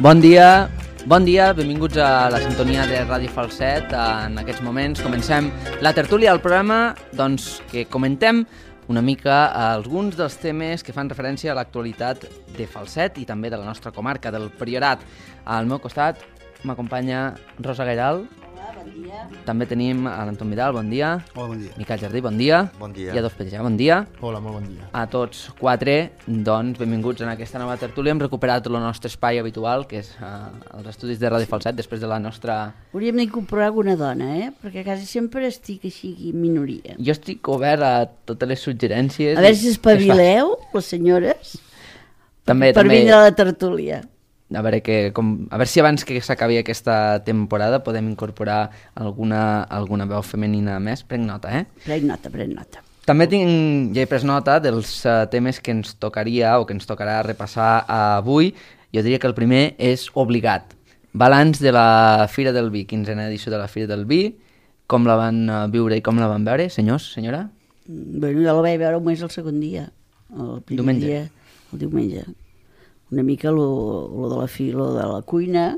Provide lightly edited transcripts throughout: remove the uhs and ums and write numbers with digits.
Bon dia, benvinguts a la sintonia de Ràdio Falset. En aquests moments comencem la tertúlia del programa, doncs, que comentem una mica alguns dels temes que fan referència a l'actualitat de Falset i també de la nostra comarca, del Priorat. Al meu costat m'acompanya Rosa Gairal. Hola, bon dia. També tenim a l'Anton Vidal, bon dia. Hola, bon dia. Miquel Jardí, bon dia. Bon dia. I a Dos Petja, bon dia. Hola, molt bon dia. A tots quatre, doncs, benvinguts en aquesta nova tertúlia. Hem recuperat el nostre espai habitual, que és els estudis de Ràdio Falset, després de la nostra... Hauríem d'incorporar alguna dona, perquè quasi sempre estic així en minoria. Jo estic obert a totes les suggerències. A veure si espavileu, les senyores, també, per vindre a la tertúlia. A veure si abans que s'acabi aquesta temporada podem incorporar alguna veu femenina més. Prenc nota, Prenc nota. També ja he pres nota dels temes que ens tocaria o que ens tocarà repassar avui. Jo diria que el primer és obligat. Balanç de la Fira del Vi, 15a edició de la Fira del Vi. Com la van viure i com la van veure, senyors, senyora? Bueno, jo la vaig veure només el segon dia. El primer dia, el diumenge. Una mica lo de la fila de la cuina,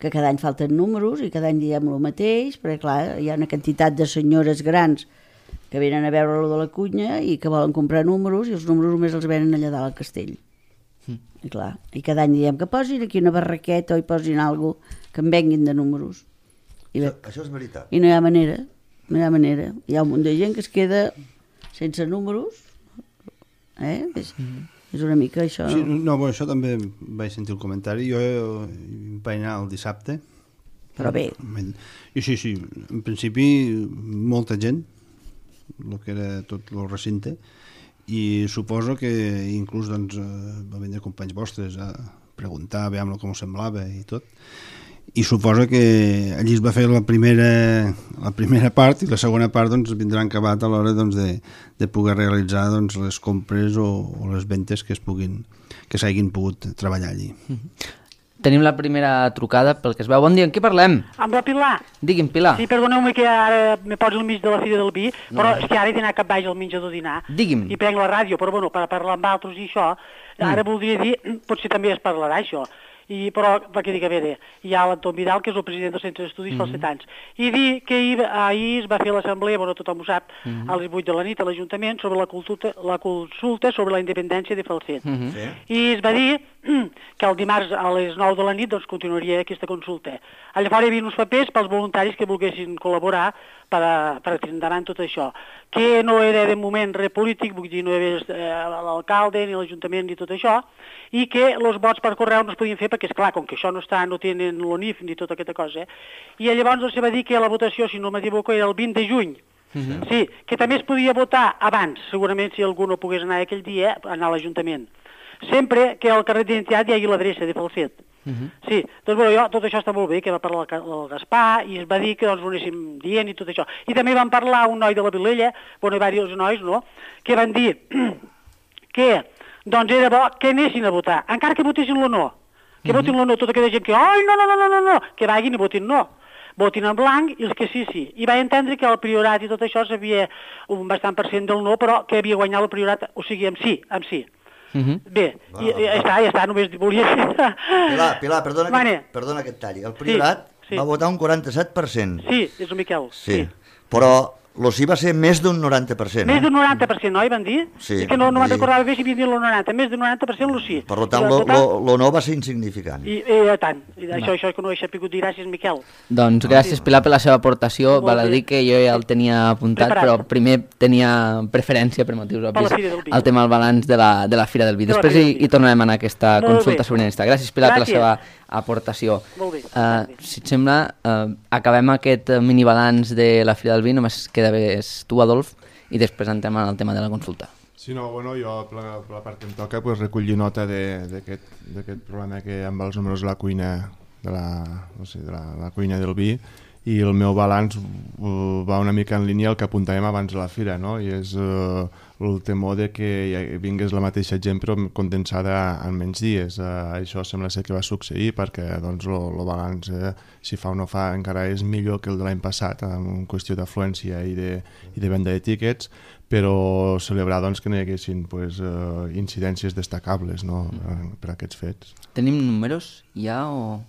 que cada any falten números i cada any diem el mateix, perquè clar, hi ha una quantitat de senyores grans que venen a veure lo de la cuina i que volen comprar números i els números només els venen allà dalt al castell. I clar, i cada any diem que posin aquí una barraqueta o hi posin alguna cosa que en venguin de números. Això és veritat. I no hi ha manera, Hi ha un munt de gent que es queda sense números, És una mica això... Sí, no, bueno, això també vaig sentir el comentari. Jo vaig anar el dissabte. Però bé. I sí, en principi molta gent, el que era tot el recinte, i suposo que inclús doncs, va vindre companys vostres a preguntar, a veure com semblava i tot. I suposo que allí es va fer la primera part i la segona part doncs, vindrà acabat a l'hora doncs, de poder realitzar doncs, les compres o les ventes que s'hagin pogut treballar allí. Tenim la primera trucada pel que es veu. Bon dia, en què parlem? Amb la Pilar. Digui'm, Pilar. Sí, perdoneu-me que ara me poso al mig de la Fira del Vi, però és que ara he d'anar cap baix al menjador a dinar. Digui'm. I prenc la ràdio, però bueno, per parlar amb altres i això, ara voldria dir, potser també es parlarà això, però perquè dic, a veure, hi ha l'Anton Vidal, que és el president del Centre d'Estudis Falsetans, i dir que ahir es va fer l'assemblea, bueno, tothom ho sap, a les 8 de la nit a l'Ajuntament, sobre la consulta sobre la independència de Falset. I es va dir que el dimarts a les 9 de la nit doncs, continuaria aquesta consulta. Llavors hi havia uns papers pels voluntaris que volguessin col·laborar per tirar endavant tot això, que no era de moment res polític, vull dir, no hi havia l'alcalde ni l'Ajuntament ni tot això, i que els vots per correu no es podien fer perquè, esclar, com que això no tenen l'ONIF ni tota aquesta cosa, i llavors doncs, se va dir que la votació, si no m'equivoco, era el 20 de juny. Sí, que també es podia votar abans, segurament si algú no pogués anar aquell dia, anar a l'Ajuntament. Sempre que al carrer d'identitat hi hagi l'adreça de Falset. Sí, doncs bueno, tot això està molt bé, que va parlar el Gaspar i es va dir que doncs ho anéssim dient i tot això. I també van parlar un noi de la Vilella, bueno, hi va diversos nois, no?, que van dir que doncs era bo que anessin a votar, encara que votessin el no, que votin el no, tota aquella gent que, ai, no, que vagin i votin no. Votin en blanc i els que sí. I va entendre que el Priorat i tot això s'havia un bastant % del no, però que havia guanyat el Priorat, o sigui, amb sí. Bé, ja està, només volia dir... Pilar, perdona que et talli. El Priorat va votar un 47%. Sí, és el Miquel. Sí, però lo sí va ser més d'un 90%. Més d'un 90%, no? Hi van dir? Sí. És que no me'n recordava bé si havia dit el 90%. Més d'un 90% lo sí. Per tant, lo no va ser insignificant. I tant. Això que no he sabut dir, gràcies, Miquel. Doncs gràcies, Pilar, per la seva aportació. Val a dir que jo ja el tenia apuntat, però primer tenia preferència, per motius obvis, al tema del balanç de la Fira del Vi. Després hi tornarem a anar a aquesta consulta sobiranista. Gràcies, Pilar, per la seva aportació. Molt bé. Si et sembla, acabem aquest minibalanç de la Fira del Vi. Només queda comentaves tu, Adolf, i després entrem al tema de la consulta. Sí, no, bueno, jo per la part que em toca recollir nota d'aquest problema que amb els números de la cuina de la cuina del vi, i el meu balanç va una mica en línia al que apuntàvem abans de la fira, no? I és el temor de que vingués la mateixa gent però condensada en menys dies. Això sembla ser que va succeir perquè doncs, el balanç, si fa o no fa, encara és millor que el de l'any passat en qüestió d'afluència i de venda de tíquets, però celebrar doncs, que no hi haguessin incidències destacables, no? Per aquests fets. Tenim números ja o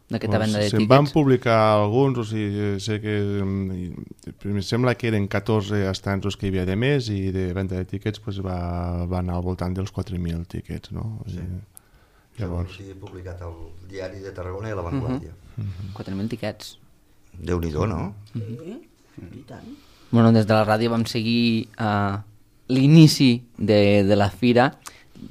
d'aquesta venda de tíquets? Se'n van publicar alguns, o sigui, sé que em sembla que eren 14 estants els que hi havia de més, i de venda de tíquets va anar al voltant dels 4.000 tíquets, no? O sigui, llavors... Sí, publicat al diari de Tarragona i a La Vanguardia. 4.000 tíquets. Déu-n'hi-do, no? Sí, i tant. Bueno, des de la ràdio vam seguir l'inici de la fira,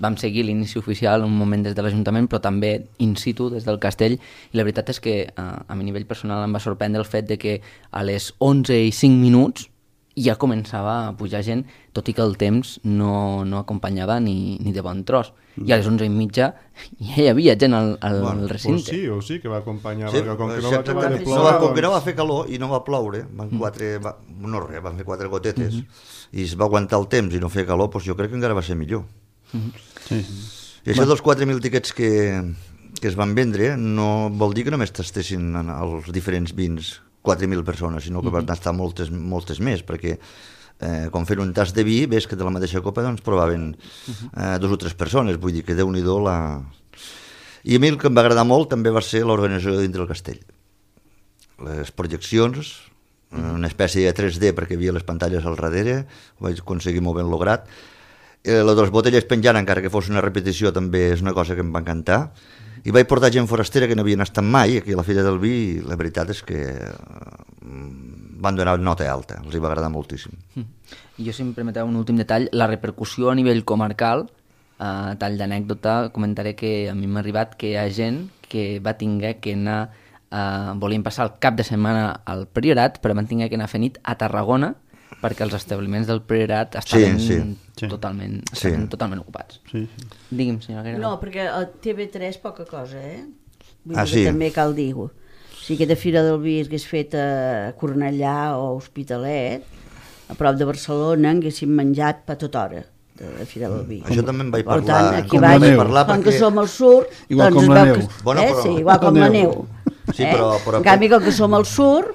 vam seguir l'inici oficial un moment des de l'Ajuntament, però també in situ des del castell, i la veritat és que a mi nivell personal em va sorprendre el fet de que a les 11:05 ja començava a pujar gent, tot i que el temps no acompanyava ni de bon tros. I a les 11:30 ja hi havia gent al recinte. O sí, que va acompanyar, sí, perquè com que com que no va fer calor i no va ploure, van fer 4 gotetes, i es va aguantar el temps i no feia calor, doncs jo crec que encara va ser millor. Sí. I això dels 4.000 tíquets que es van vendre no vol dir que només tastessin els diferents vins 4.000 persones, sinó que van tastar moltes més, perquè quan fent un tast de vi, ves que de la mateixa copa doncs provaven 2 o 3 persones, vull dir que Déu-n'hi-do la... I a mi el que em va agradar molt també va ser l'organització dintre del castell. Les projeccions, una espècie de 3D perquè hi havia les pantalles al darrere, ho vaig aconseguir molt ben lograt. La de les botelles penjant, encara que fos una repetició, també és una cosa que em va encantar. I vaig portar gent forastera que no havien estat mai aquí a la Fira del Vi, i la veritat és que van donar nota alta, els va agradar moltíssim. Jo, si em permeteu un últim detall, la repercussió a nivell comarcal, tall d'anècdota, comentaré que a mi m'ha arribat que hi ha gent que va tenir que anar, volien passar el cap de setmana al Priorat, però van tenir que anar a fer nit a Tarragona, perquè els establiments del Priorat estaven totalment ocupats. Sí. Digui'm, senyora Guerra. No, perquè a TV3 poca cosa, Vull dir que també cal dir-ho. Si aquesta Fira del Vi hagués fet a Cornellà o Hospitalet, a prop de Barcelona, haguéssim menjat per tota hora de la Fira del Vi. Això també en vaig parlar. Per tant, aquí vaig, com que som al sur, igual com la neu. Sí, igual com la neu. Sí, però... En canvi, com que som al sur,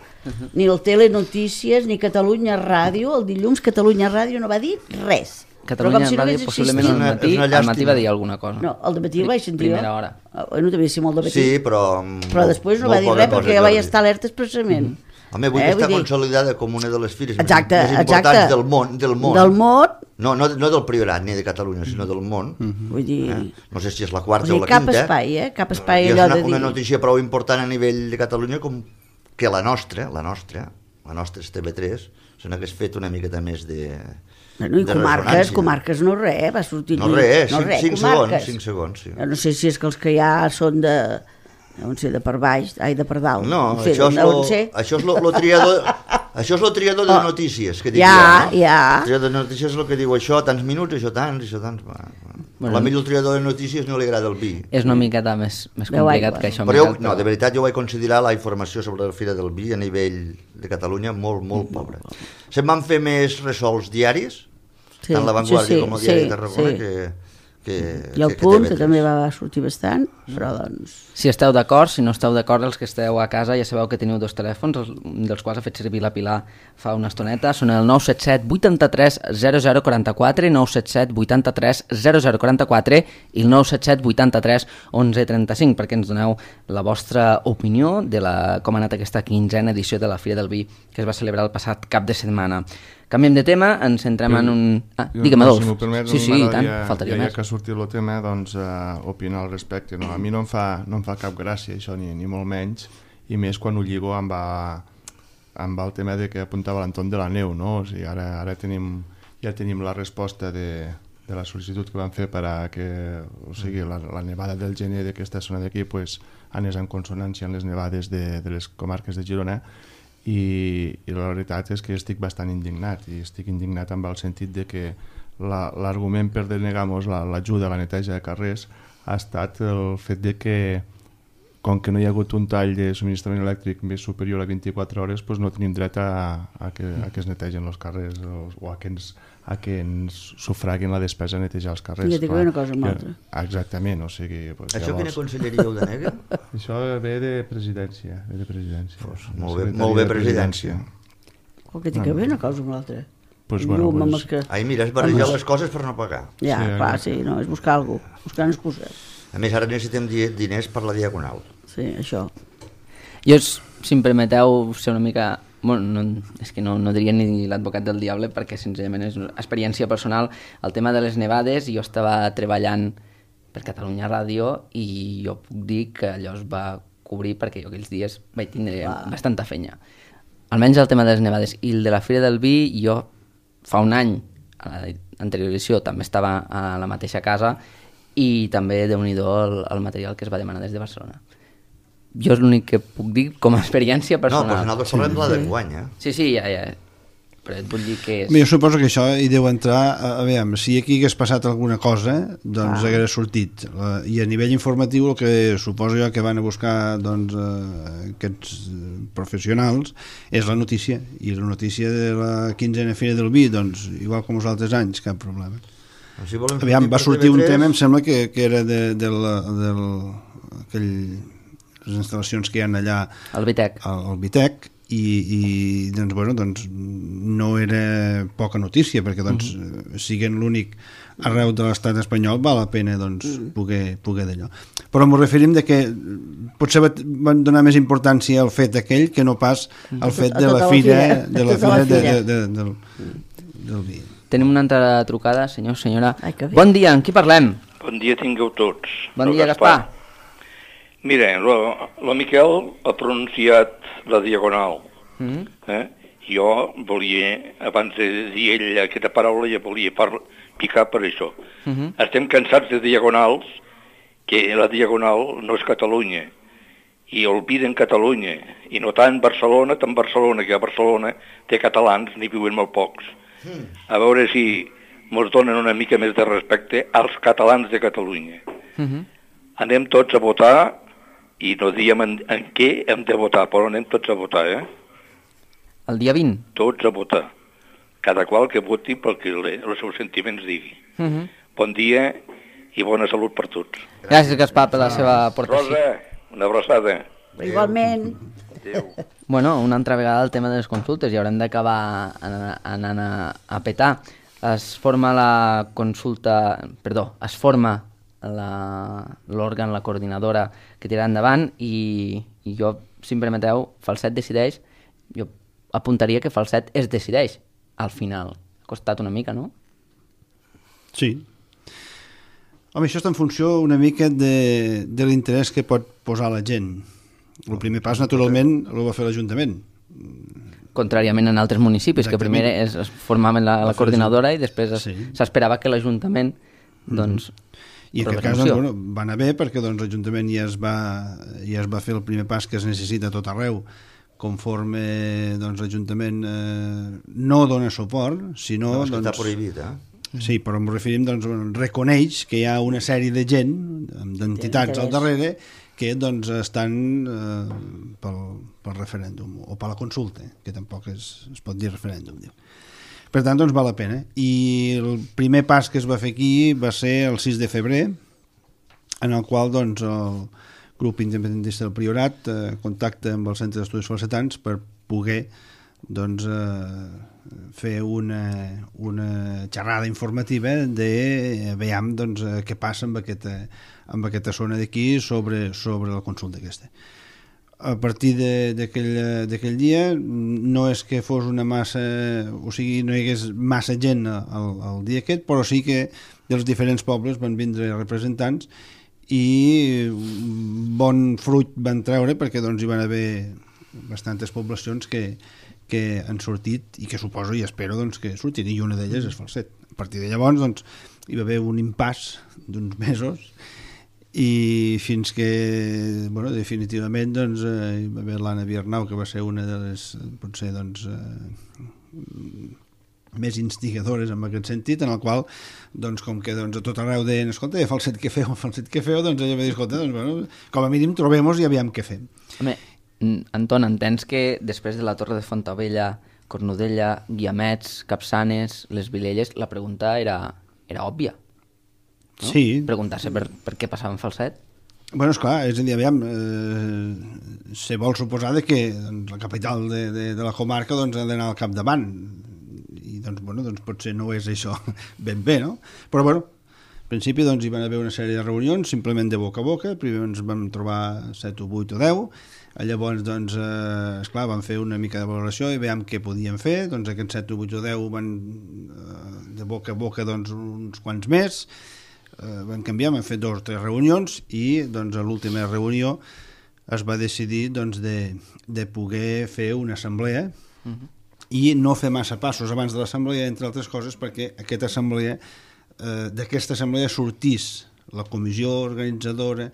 ni el Telenotícies ni Catalunya Ràdio, el dilluns Catalunya Ràdio no va dir res. Catalunya Ràdio possiblement al matí va dir alguna cosa. No, al matí el vaig sentir primera hora. Bueno, devia ser molt de matí. Sí, però després no va dir res perquè ja vaig estar alerta expressament. Home, vull estar consolidada com una de les fires més importants del món. Del món. No del Priorat ni de Catalunya, sinó del món. Vull dir... No sé si és la quarta o la quinta. Cap espai, Cap espai allò de dir... És una notícia prou important a nivell de Catalunya com que la nostra és TV3, se n'hagués fet una miqueta més de... Bueno, i comarques no res, va sortir... No res, 5 segons, sí. No sé si és que els que hi ha són de... No sé, de per baix, de per dalt. No, això és el triador... Això és el triador de notícies que dic ja, no? Ja. El triador de notícies és el que diu això, tants minuts, això tants... Bueno, a mi el triador de notícies no li agrada el vi. És una miqueta més complicat que això. Però no, de veritat jo vaig considerar la informació sobre la Fira del Vi a nivell de Catalunya molt, molt pobra. Se'n van fer més ressols diaris, tant La Vanguardia com el Diari de Tarragona, i el Punt, que també va sortir bastant, però doncs... Si esteu d'acord, si no esteu d'acord, els que esteu a casa ja sabeu que teniu 2 telèfons, dels quals ha fet servir la Pilar fa una estoneta, són el 977 83 0044, 977 83 0044 i el 977 83 1135, perquè ens doneu la vostra opinió de com ha anat aquesta 15a edició de la Fira del Vi que es va celebrar el passat cap de setmana. Canviem de tema, ens centrem en un... Digue'm, Adolf. Si m'ho permets, sí, i tant, faltaria més. Ja que ha sortit el tema, doncs, opinar al respecte. No? A mi no em fa cap gràcia això, ni molt menys, i més quan ho lligo amb el tema de que apuntava l'Anton de la Neu, no? O sigui, ara ja tenim la resposta de la sol·licitud que van fer per a que, o sigui, la nevada del gener d'aquesta zona d'aquí pues, anés en consonància amb les nevades de les comarques de Girona, i la veritat és que estic bastant indignat, i estic indignat amb el sentit de que l'argument per denegar-nos l'ajuda a la neteja de carrers ha estat el fet de que, com que no hi ha hagut un tall de subministrament elèctric més superior a 24 hores, doncs no tenim dret a que es netegen els carrers o a que ens sufraguin la despesa a netejar els carrers. I una cosa amb l'altra. Exactament, o sigui... Això quina conselleria ho denega? Això ve de presidència. Molt bé, presidència. O que té que ver una cosa amb l'altra. Ai, mira, és barrejar les coses per no pagar. Ja, clar, sí, no, és buscar alguna cosa, buscar una excusa. A més, ara necessitem diners per la Diagonal. Sí, això. Jo, si em permeteu ser una mica... Bueno, és que no diria ni l'advocat del diable, perquè senzillament és una experiència personal. El tema de les nevades, jo estava treballant per Catalunya Ràdio i jo puc dir que allò es va cobrir perquè jo aquells dies vaig tindre bastanta feina. Almenys el tema de les nevades. I el de la Fira del Vi, jo fa un any, a l'anterior edició, també estava a la mateixa casa i també, déu-n'hi-do, el material que es va demanar des de Barcelona. Jo és l'únic que puc dir com a experiència personal. No, però nosaltres parlem de la d'enguany, eh? Sí, ja. Però et vull dir que és... Jo suposo que això hi deu entrar... A veure, si aquí hagués passat alguna cosa, doncs hagués sortit. I a nivell informatiu, el que suposo jo que van a buscar doncs, aquests professionals és la notícia. I la notícia de la 15a Fira del Vi, doncs, igual com els altres anys, cap problema. Si aviam, va sortir un tema, em sembla que era les instal·lacions que hi ha allà al Vitec i doncs, bueno, doncs, no era poca notícia perquè doncs, siguent l'únic arreu de l'estat espanyol val la pena doncs, poder d'allò. Però m'ho referim de que potser van donar més importància al fet aquell que no pas al fet de la fira del vi. Tenim una altra trucada, senyora. Bon dia, amb qui parlem? Bon dia tingueu tots. Bon dia, Gaspar. Mira, la Miquel ha pronunciat la Diagonal. Jo volia, abans de dir ell aquesta paraula, ja volia picar per això. Estem cansats de diagonals, que la Diagonal no és Catalunya, i olviden Catalunya, i no tant Barcelona, que a Barcelona té catalans, n'hi viuen molt pocs. A veure si ens donen una mica més de respecte als catalans de Catalunya. Anem tots a votar, i no diem en què hem de votar, però anem tots a votar, El dia 20? Tots a votar. Cada qual que voti pel que els seus sentiments digui. Bon dia i bona salut per tots. Gràcies, Gaspar, per la seva aportació. Rosa, una abraçada. Igualment. Adéu. Bueno, una altra vegada el tema de les consultes, i haurem d'acabar anant a petar. Es forma l'òrgan, la coordinadora que tirarà endavant i jo, si em permeteu, Falset decideix, jo apuntaria que Falset es decideix al final. Ha costat una mica, no? Sí. Home, això està en funció una mica de l'interès que pot posar la gent. El primer pas, naturalment, el va fer l'Ajuntament. Contràriament en altres municipis, que primer es formaven la coordinadora i després s'esperava que l'Ajuntament doncs... I en aquest cas doncs, va anar bé perquè doncs, l'Ajuntament ja es va fer el primer pas que es necessita a tot arreu conforme doncs, l'Ajuntament no dona suport, sinó... No, és que està prohibit, Sí, però ens referim, doncs, reconeix que hi ha una sèrie de gent, d'entitats al darrere, que doncs, estan pel referèndum, o per la consulta, que tampoc es pot dir referèndum, diu. Per tant, doncs val la pena. I el primer pas que es va fer aquí va ser el 6 de febrer, en el qual doncs, el grup independentista del Priorat contacta amb el Centre d'Estudis Falsetans per poder doncs, fer una xerrada informativa de veiem doncs, què passa amb aquesta zona d'aquí sobre la consulta aquesta. A partir d'aquell dia no és que fos una massa, o sigui, no hi hagués massa gent el dia aquest, però sí que dels diferents pobles van vindre representants i bon fruit van treure perquè doncs, hi van haver bastantes poblacions que han sortit i que suposo i espero doncs, que surtin, i una d'elles és Falset. A partir de llavors doncs, hi va haver un impàs d'uns mesos i fins que, bueno, definitivament, doncs, hi va haver l'Anna Viernau, que va ser una de les, potser, doncs, més instigadores en aquest sentit, en el qual, doncs, com que doncs, a tot arreu deien, escolta, falset que feu, doncs ella va dir, escolta, doncs, bueno, com a mínim trobem-nos i aviam què fem. Home, Anton, entens que després de la Torre de Fontaubella, Cornudella, Guiamets, Capçanes, les Vilelles, la pregunta era òbvia, no? Sí. Preguntar-se per què passava en Falset. Bueno, esclar, és a dir, aviam, se vol suposar que doncs, la capital de la comarca doncs, ha d'anar al capdavant, i doncs, bueno, doncs potser no és això ben bé, no? Però bueno, al principi doncs, hi van haver una sèrie de reunions simplement de boca a boca. Primer ens vam trobar 7 o 8 o 10, llavors doncs, esclar, vam fer una mica de valoració i veiem què podíem fer. Doncs aquests 7 o 8 o 10 van de boca a boca doncs, uns quants més, van canviar, vam fer 2 o 3 reunions i doncs, a l'última reunió es va decidir doncs, de poder fer una assemblea i no fer massa passos abans de l'assemblea, entre altres coses perquè aquesta assemblea sortís la comissió organitzadora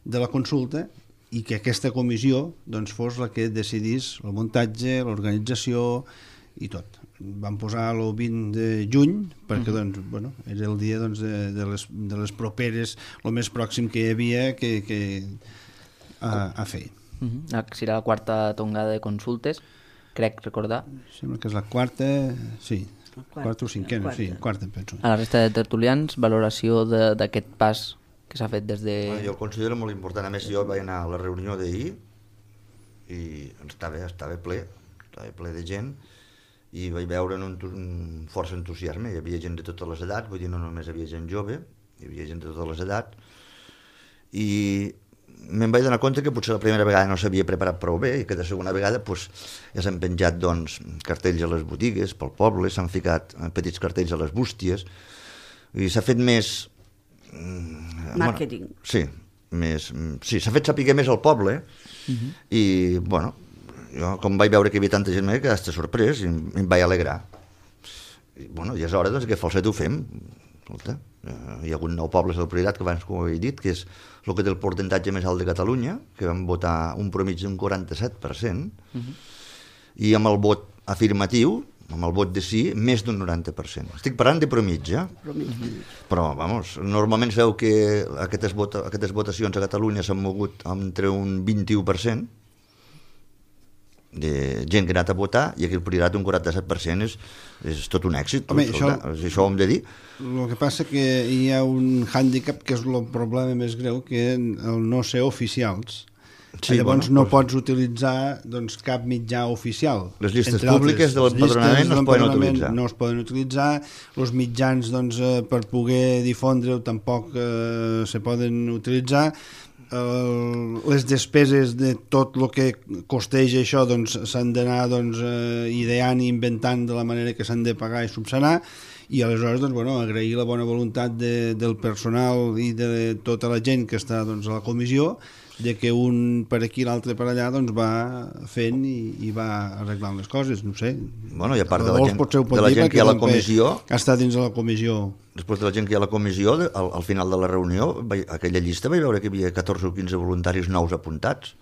de la consulta i que aquesta comissió doncs, fos la que decidís el muntatge, l'organització i tot. Vam posar el 20 de juny perquè doncs, bueno, era el dia doncs, de les properes, el més pròxim que hi havia a fer. Serà la 4ª tongada de consultes, crec recordar. Sembla que és la 4ª, sí, 4ª o 5ª, sí, 4ª penso. A la resta de tertulians, valoració d'aquest pas que s'ha fet des de... Jo el considero molt important. A més, jo vaig anar a la reunió d'ahir i estava ple de gent i vaig veure un força entusiasme. Hi havia gent de totes les edats, vull dir, no només hi havia gent jove, hi havia gent de totes les edats, i me'n vaig donar compte que potser la primera vegada no s'havia preparat prou bé i que de segona vegada pues, ja s'han penjat doncs, cartells a les botigues pel poble, s'han ficat petits cartells a les bústies i s'ha fet més... Màrqueting. Bueno, sí, s'ha fet saber més al poble i, bueno, jo com vaig veure que hi havia tanta gent m'he quedat sorprès i em vaig alegrar. I, bueno, i és hora doncs, que Falset ho fem. Escolta, hi ha hagut 9 pobles del Priorat, que abans com ho he dit, que és el que té el percentatge més alt de Catalunya, que vam votar un promig d'un 47%, i amb el vot afirmatiu, amb el vot de sí, més d'un 90%. Estic parlant de promitja, però, vamos, normalment sabeu que aquestes votacions a Catalunya s'han mogut entre un 21% de gent que ha anat a votar, i aquí el Priorat un 47% és tot un èxit. Home, això ho hem de dir. El que passa que hi ha un hàndicap que és el problema més greu, que el no ser oficials. Sí, llavors no pots utilitzar doncs, cap mitjà oficial. Les llistes públiques de l'empadronament no es poden utilitzar. No es poden utilitzar. Els mitjans doncs, per poder difondre-ho tampoc se poden utilitzar. Les despeses de tot el que costeja això doncs, s'han d'anar doncs, ideant i inventant de la manera que s'han de pagar i subsanar, i aleshores doncs, bueno, agrair la bona voluntat del personal i de tota la gent que està doncs, a la comissió, de que un per aquí i l'altre per allà doncs, va fent i va arreglant les coses, no sé. Bueno, i a part de la gent que hi ha a la comissió... Està dins de la comissió. Després de la gent que hi ha a la comissió, al final de la reunió, aquella llista vaig veure que hi havia 14 o 15 voluntaris nous apuntats.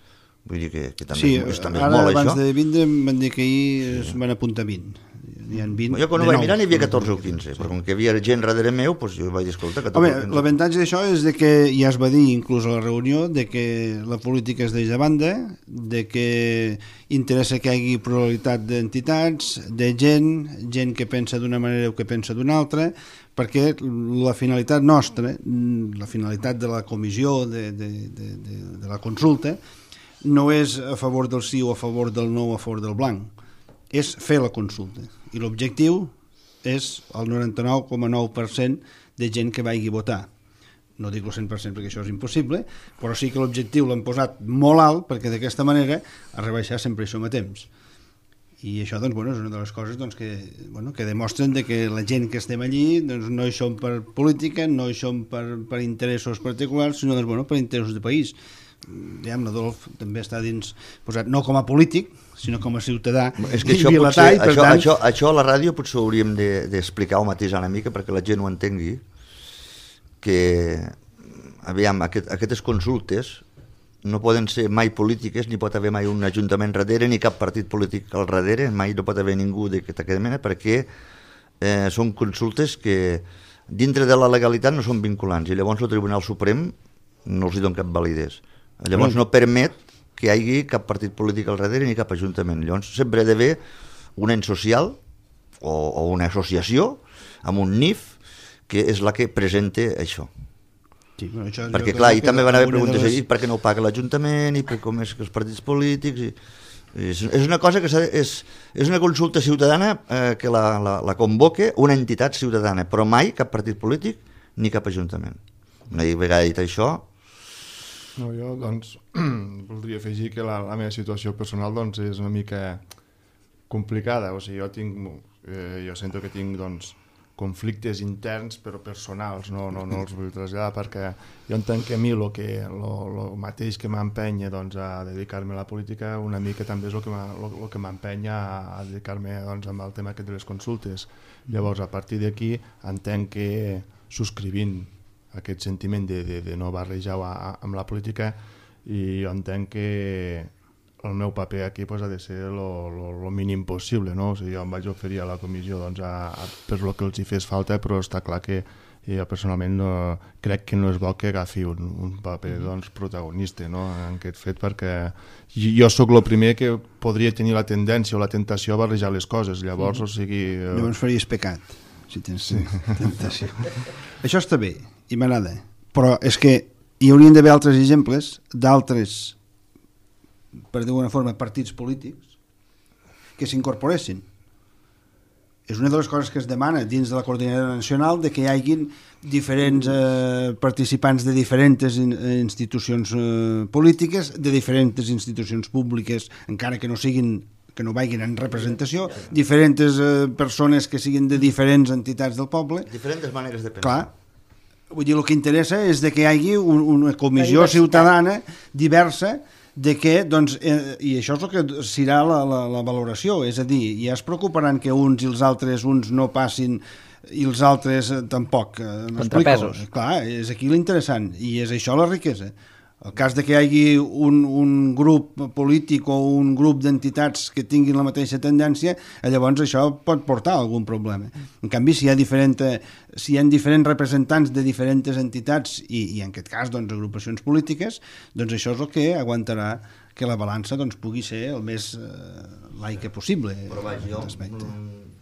Vull dir que també és molt, això. Ara, abans de vindre, em van dir que ahir es van apuntar 20. Hi ha 20 jo quan ho vaig mirar n'hi havia 14 o 15, però com que hi havia gent darrere meu, doncs jo vaig dir, escolta, 14 o 15. L'avantatge d'això és de que ja es va dir, inclús a la reunió, de que la política es deixa de banda, de que interessa que hi hagi pluralitat d'entitats, de gent que pensa d'una manera o que pensa d'una altra, perquè la finalitat nostra, la finalitat de la comissió, de la consulta, no és a favor del sí o a favor del no o a favor del blanc, és fer la consulta. I l'objectiu és el 99,9% de gent que vagi a votar. No dic el 100% perquè això és impossible, però sí que l'objectiu l'hem posat molt alt perquè d'aquesta manera a rebaixar sempre hi som a temps. I això doncs, bueno, és una de les coses doncs, que demostren de que la gent que estem allí doncs, no hi som per política, no hi som per interessos particulars, sinó doncs, bueno, per interessos de país. L'Adolf també està dins posat no com a polític sinó com a ciutadà és que això, potser, per tant... això a la ràdio potser hauríem d'explicar o matisar una mica perquè la gent ho entengui, que aviam, aquestes consultes no poden ser mai polítiques, ni pot haver mai un ajuntament darrere, ni cap partit polític al darrere, mai no pot haver ningú d'aquesta mena, perquè són consultes que dintre de la legalitat no són vinculants, i llavors el Tribunal Suprem no els hi dona cap validesa. Llavors no permet que hi hagi cap partit polític al darrere ni cap ajuntament. Llavors sempre ha d'haver un ens social o una associació amb un NIF que és la que presenta això. Sí, bueno, perquè clar, i també van haver preguntes ahir per què no ho paga l'Ajuntament i per com és que els partits polítics és una cosa que és una consulta ciutadana que la convoca una entitat ciutadana, però mai cap partit polític ni cap ajuntament. Una vegada dit això... No, jo doncs voldria afegir que la meva situació personal doncs és una mica complicada, o sigui, jo sento que tinc doncs conflictes interns però personals, no els vull traslladar perquè jo entenc que a mi el mateix que m'empenya doncs, a dedicar-me a la política una mica també és el que m'empenya a dedicar-me doncs, amb el tema aquest de les consultes. Llavors a partir d'aquí entenc que subscrivint aquest sentiment de no barrejar amb la política i jo entenc que el meu paper aquí pues, ha de ser el mínim possible, no? O sigui, jo em vaig oferir a la comissió doncs, per el que els hi fes falta, però està clar que jo personalment crec que no és bo que agafi un paper doncs, protagonista no? En aquest fet, perquè jo sóc el primer que podria tenir la tendència o la tentació a barrejar les coses, llavors, o sigui... Llavors faries pecat, si tens tentació. Això està bé, i m'agrada, però és que hi haurien d'haver altres exemples d'altres, per dir-ho d'una forma, partits polítics que s'incorporessin. És una de les coses que es demana dins de la coordinadora nacional, de que hi hagin diferents participants de diferents institucions polítiques, de diferents institucions públiques, encara que no vagin en representació, diferents persones que siguin de diferents entitats del poble. Diferents maneres de pensar. Clar, vull dir, el que interessa és de que hi hagi una comissió ciutadana diversa de que, doncs, i això és el que serà la valoració, és a dir, ja es preocuparan que uns i els altres, uns no passin i els altres tampoc. Contrapesos. Clar, és aquí l'interessant, i és això la riquesa. El cas de que hi hagi un grup polític o un grup d'entitats que tinguin la mateixa tendència, llavors això pot portar a algun problema. En canvi, si hi ha diferents representants de diferents entitats i en aquest cas doncs, agrupacions polítiques, doncs això és el que aguantarà que la balança doncs, pugui ser el més laica possible. Però vaja, jo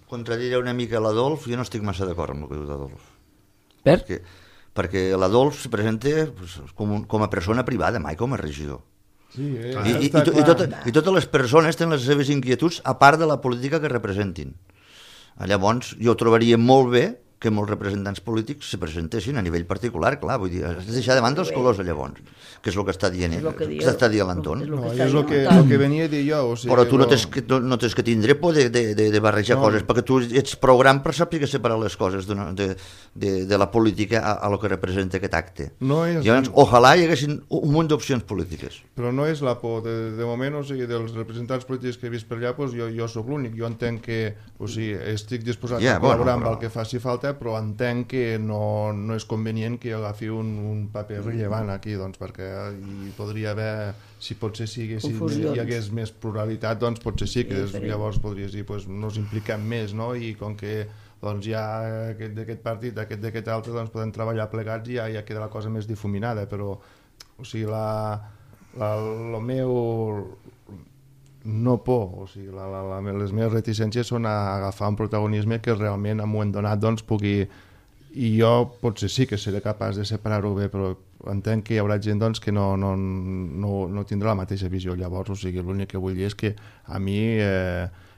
contradiré una mica l'Adolf, jo no estic massa d'acord amb el que diu l'Adolf. Perquè l'Adolf se presenta com a persona privada, mai com a regidor. Sí, I totes les persones tenen les seves inquietuds a part de la política que representin. Llavors, jo trobaria molt bé que molts representants polítics se presentessin a nivell particular, clar, vull dir, has de deixar de banda els colors llavors, que és el que està dient l'Anton. No, és el que venia a dir jo. O sigui, però tu no tens que tindre por de barrejar coses, perquè tu ets prou gran per saber separar les coses de la política a lo que representa aquest acte. Llavors, ojalà hi haguessin un munt d'opcions polítiques. Però no és la por, de moment, o sigui, dels representants polítics que he vist per allà, doncs jo sóc l'únic, jo entenc que, o sigui, estic disposat a col·laborar amb el que faci falta, però entenc que no és convenient que agafi un paper rellevant aquí, doncs, perquè hi podria haver, si potser hi hagués més pluralitat, doncs potser sí que llavors podries dir, doncs nos impliquem més, no? I com que doncs hi ha aquest d'aquest partit, d'aquest altre, doncs podem treballar plegats i ja queda la cosa més difuminada, però, o sigui, el meu no por, o sigui, les meves reticències són a agafar un protagonisme que realment en un moment donat doncs pugui, i jo potser sí que seré capaç de separar-ho bé, però entenc que hi haurà gent doncs, que no tindrà la mateixa visió. Llavors, o sigui, l'únic que vull dir és que a mi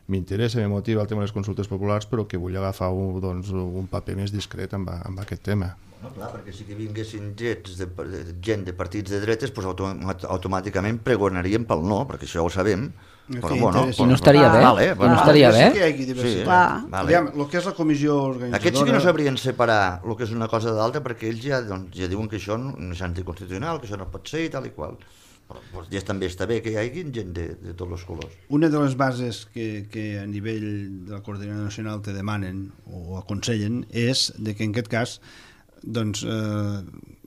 m'interessa, me motiva el tema de les consultes populars, però que vull agafar un paper més discret amb aquest tema. No, clar, perquè si que vinguessin gent de partits de dretes, doncs automàticament pregonaríem pel no, perquè això ho sabem. Però, bueno, i no estaria bé. No estaria bé. Aviam, el que és la comissió organitzadora... Aquests sí que no sabrien separar el que és una cosa d'altra, perquè ells ja diuen que això no és anticonstitucional, que això no pot ser i tal i qual. Però ja també està bé que hi hagi gent de tots els colors. Una de les bases que a nivell de la coordinadora nacional te demanen o aconsellen és de que en aquest cas doncs,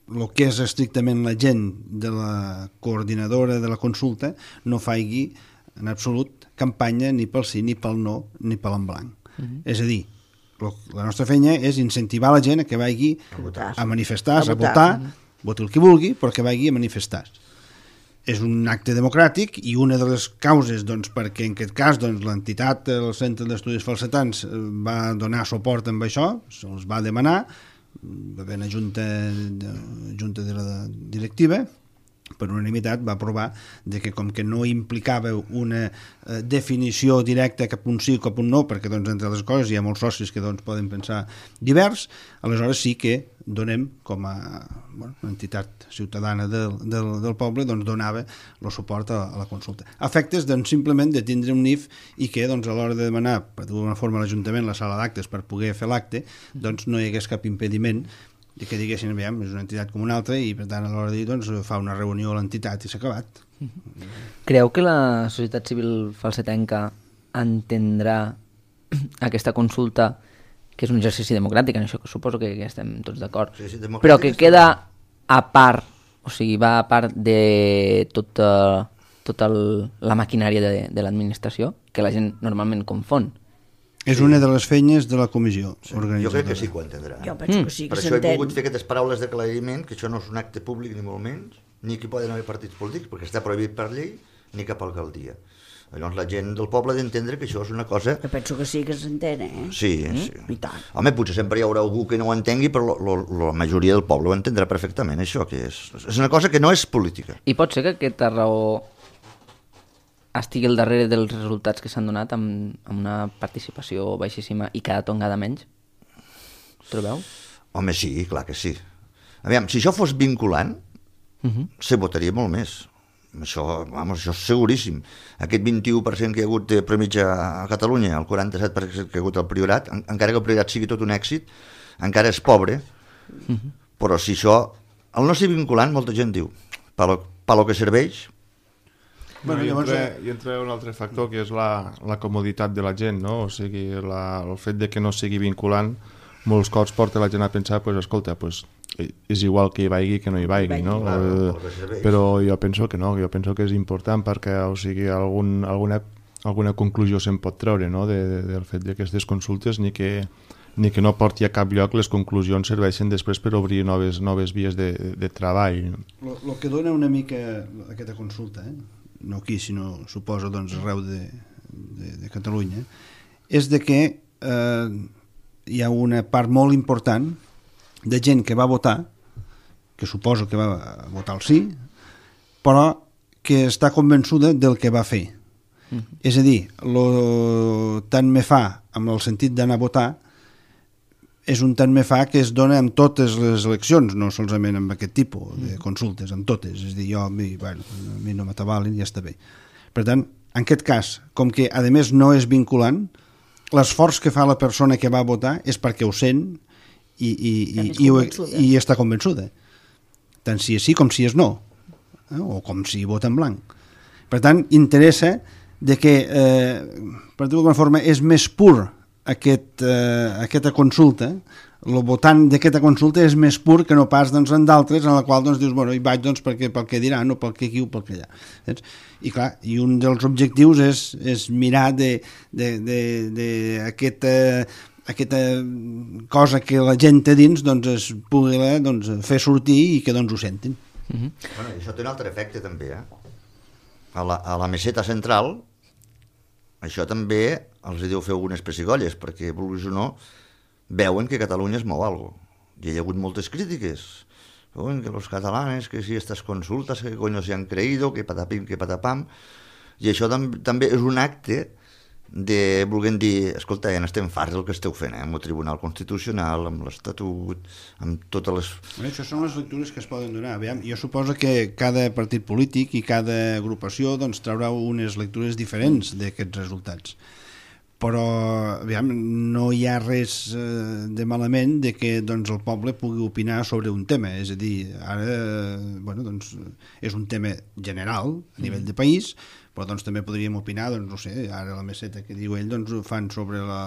el que és estrictament la gent de la coordinadora de la consulta no faci en absolut campanya ni pel sí, ni pel no, ni pel en blanc. És a dir, la nostra feina és incentivar la gent a que vagi a manifestar-se, a votar, voti el que vulgui, però que vagi a manifestar-se. És un acte democràtic i una de les causes doncs, perquè en aquest cas doncs, l'entitat, el Centre d'Estudis Falsetans, va donar suport amb això, se'ls va demanar, va haver una junta de la directiva, per unanimitat va aprovar de que com que no implicava una definició directa cap un sí o cap un no, perquè doncs, entre les coses hi ha molts socis que doncs, poden pensar divers, aleshores sí que donem com a entitat ciutadana del poble, doncs donava el suport a la consulta. A efectes doncs, simplement de tindre un NIF i que doncs, a l'hora de demanar per d'alguna forma a l'Ajuntament la sala d'actes per poder fer l'acte, doncs no hi hagués cap impediment i que diguessin, aviam, és una entitat com una altra i per tant a l'hora de dir, doncs, fa una reunió a l'entitat i s'ha acabat. Creu que la societat civil falsetenca entendrà aquesta consulta, que és un exercici democràtic, en això suposo que estem tots d'acord, Sí, però que queda a part, o sigui, va a part de tota la maquinària de l'administració, que la gent normalment confon? És una de les feines de la comissió organitzadora. Jo crec que sí que ho entendrà. Jo penso que sí que per això he s'entén. volgut fer aquestes paraules d'aclariment, que això no és un acte públic ni molt menys, ni que poden haver partits polítics, perquè està prohibit per llei, ni cap alcaldia. Llavors la gent del poble ha d'entendre que això és una cosa... Jo penso que sí que s'entén, Sí, sí. I tant. Home, potser sempre hi haurà algú que no ho entengui, però la majoria del poble ho entendrà perfectament, això, que és una cosa que no és política. I pot ser que aquesta raó estigui al darrere dels resultats que s'han donat amb una participació baixíssima i cada tongada menys? Trobeu? Home, sí, clar que sí. Aviam, si això fos vinculant, se votaria molt més. Això és seguríssim. Aquest 21% que hi ha hagut de premitja a Catalunya, el 47% que hi ha hagut al Priorat, encara que el Priorat sigui tot un èxit, encara és pobre, però si això, al no ser vinculant, molta gent diu, per lo que serveix. Bueno, i entra un altre factor, que és la comoditat de la gent, no? O sigui, el fet de que no sigui vinculant, molts cops porta la gent a pensar, pues, escolta, pues, és igual que hi vagi que no hi vagi, no? Però jo penso que no, jo penso que és important perquè, o sigui, alguna conclusió se'n pot treure, no?, del fet d'aquestes consultes, ni que no porti a cap lloc, les conclusions serveixen després per obrir noves vies de treball. El que dona una mica aquesta consulta, no aquí, sinó suposo doncs, arreu de Catalunya, és de que hi ha una part molt important de gent que va votar, que suposo que va votar el sí, però que està convençuda del que va fer. És a dir, tant me fa amb el sentit d'anar a votar és un tant me fa que es dona amb totes les eleccions, no solament amb aquest tipus de consultes, amb totes. És a dir, a mi no m'atabalen i ja està bé. Per tant, en aquest cas, com que a més no és vinculant, l'esforç que fa la persona que va votar és perquè ho sent i està convençuda. Tant si és sí com si és no, o com si vota en blanc. Per tant, interessa de que, per dir-ho d'alguna forma, és més pur aquesta consulta, el votant d'aquesta consulta és més pur que no pas doncs, en d'altres en la qual doncs, dius, bueno, hi vaig doncs, pel que diran o pel que aquí o pel que allà. I clar, i un dels objectius és mirar aquesta cosa que la gent té dins doncs, es pugui doncs, fer sortir i que doncs, ho sentin. Bueno, això té un altre efecte també, a la meseta central això també els deu fer algunes pessigolles, perquè, vulguis o no, veuen que Catalunya es mou alguna cosa. I hi ha hagut moltes crítiques. Que los catalanes, que si estas consultas, que coño se han creído, que patapim, que patapam. I això també és un acte de, volguem dir, escolta, ja n'estem farts del que esteu fent, amb el Tribunal Constitucional, amb l'Estatut, amb totes les... Això són les lectures que es poden donar. Aviam, jo suposo que cada partit polític i cada agrupació doncs, traurà unes lectures diferents d'aquests resultats. Però aviam, no hi ha res de malament de que doncs, el poble pugui opinar sobre un tema. És a dir, ara doncs, és un tema general a nivell de país, però doncs també podríem opinar, doncs no sé, ara la meseta que diu ell, doncs ho fan sobre la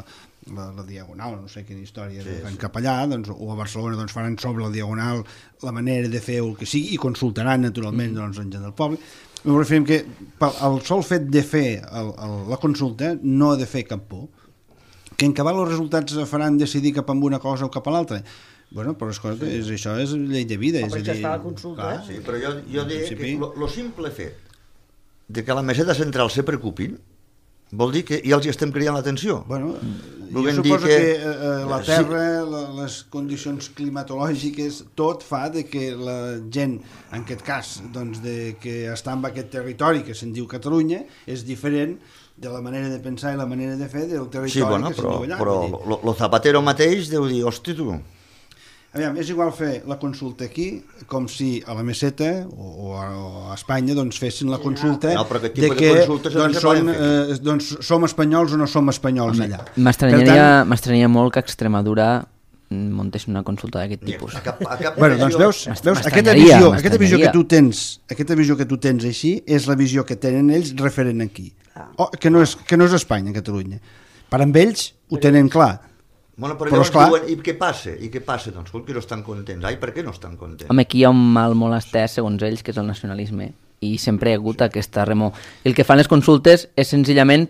Diagonal, no sé quina història fan cap allà, doncs, o a Barcelona doncs faran sobre la Diagonal la manera de fer el que sigui i consultaran naturalment doncs, en gent del poble. Em referim que el sol fet de fer la consulta no ha de fer cap por, que en acabar els resultats faran decidir cap a una cosa o cap a l'altra. Bueno, però escolta, això és llei de vida. Per això es fa la consulta. Sí, però jo diria que el simple fet de que la meseta central se preocupin vol dir que ja els estem creant l'atenció. Bueno, jo suposo que la Terra, les condicions climatològiques, tot fa de que la gent, en aquest cas, doncs, de que està en aquest territori que se'n diu Catalunya, és diferent de la manera de pensar i la manera de fer del territori que se'n diu allà. Però el Zapatero mateix deu dir, hosti tu... Aviam, és igual fer la consulta aquí com si a la meseta o a Espanya doncs, fessin la consulta de que doncs, som espanyols o no som espanyols allà. M'estranyaria molt que Extremadura muntés una consulta d'aquest tipus. Bueno, doncs veus aquesta visió que tu tens així és la visió que tenen ells referent aquí. Que no és Espanya, Catalunya. Per amb ells ho tenen clar. Bueno, però llavors diuen, i què passa? Doncs que no estan contents. Ai, per què no estan contents? Home, aquí hi ha un mal molt estès, segons ells, que és el nacionalisme, i sempre hi ha hagut aquesta remor. El que fan les consultes és senzillament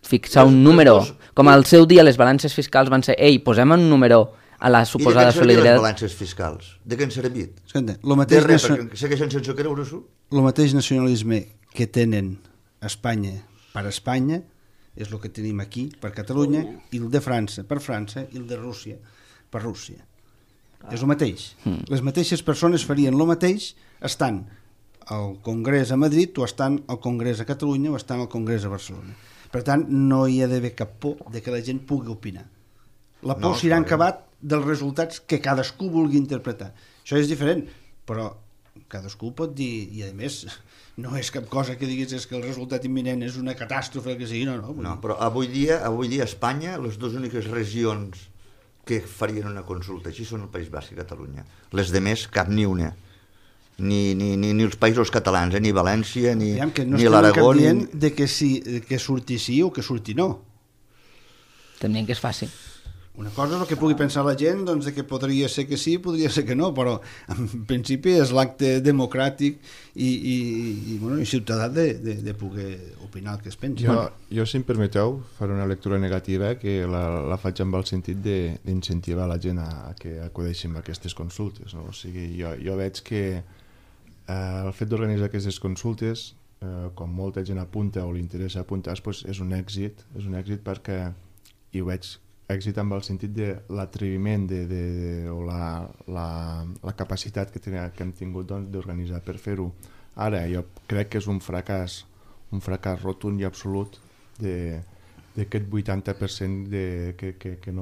fixar un número. Com al seu dia les balances fiscals van ser, posem un número a la suposada solidaritat. I de què han servit les balances fiscals? De què han servit? De res, perquè segueixen sense creure-s'ho. El mateix nacionalisme que tenen Espanya per Espanya és el que tenim aquí per Catalunya, i el de França per França, i el de Rússia per Rússia. És el mateix. Les mateixes persones farien el mateix estant al Congrés a Madrid o estant al Congrés a Catalunya o estant al Congrés a Barcelona. Per tant, no hi ha d'haver cap por de que la gent pugui opinar. La por s'irà acabat dels resultats que cadascú vulgui interpretar. Això és diferent, però cadascú pot dir, i a més no és cap cosa que diguis és que el resultat imminent és una catàstrofe que sigui, no, però avui dia a Espanya les dues úniques regions que farien una consulta així són el País Basc i Catalunya. Les demés cap ni una, ni els països catalans, ni València ni l'Aragó. No estem dient de que surti sí o que surti no. També que és fàcil. Una cosa és el que pugui pensar la gent, doncs, de que podria ser que sí, podria ser que no, però en principi és l'acte democràtic i ciutadà de poder opinar el que es pensi. Jo, si em permeteu, faré una lectura negativa que la faig amb el sentit d'incentivar la gent a que acudeixin a aquestes consultes. No? O sigui, jo veig que el fet d'organitzar aquestes consultes, com molta gent apunta o li interessa apuntar, doncs és un èxit perquè hi veig èxit amb el sentit de l'atreviment o la capacitat que hem tingut d'organitzar per fer-ho. Ara jo crec que és un fracàs rotund i absolut d'aquest 80% que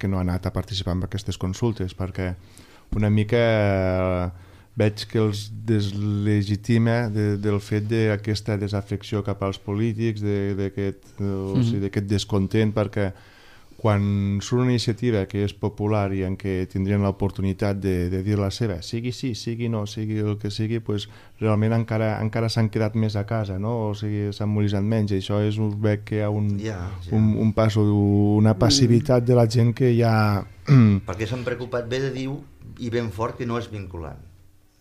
no ha anat a participar en aquestes consultes, perquè una mica veig que els deslegitima del fet d'aquesta desafecció cap als polítics, d'aquest descontent, perquè quan surt una iniciativa que és popular i en què tindrien l'oportunitat de dir la seva, sigui sí, sigui no, sigui el que sigui, doncs realment encara s'han quedat més a casa, no? O sigui, s'han mobilitzat menys, i això veig que hi ha un pas, una passivitat de la gent que ja... Perquè s'han preocupat bé de dir i ben fort que no és vinculant.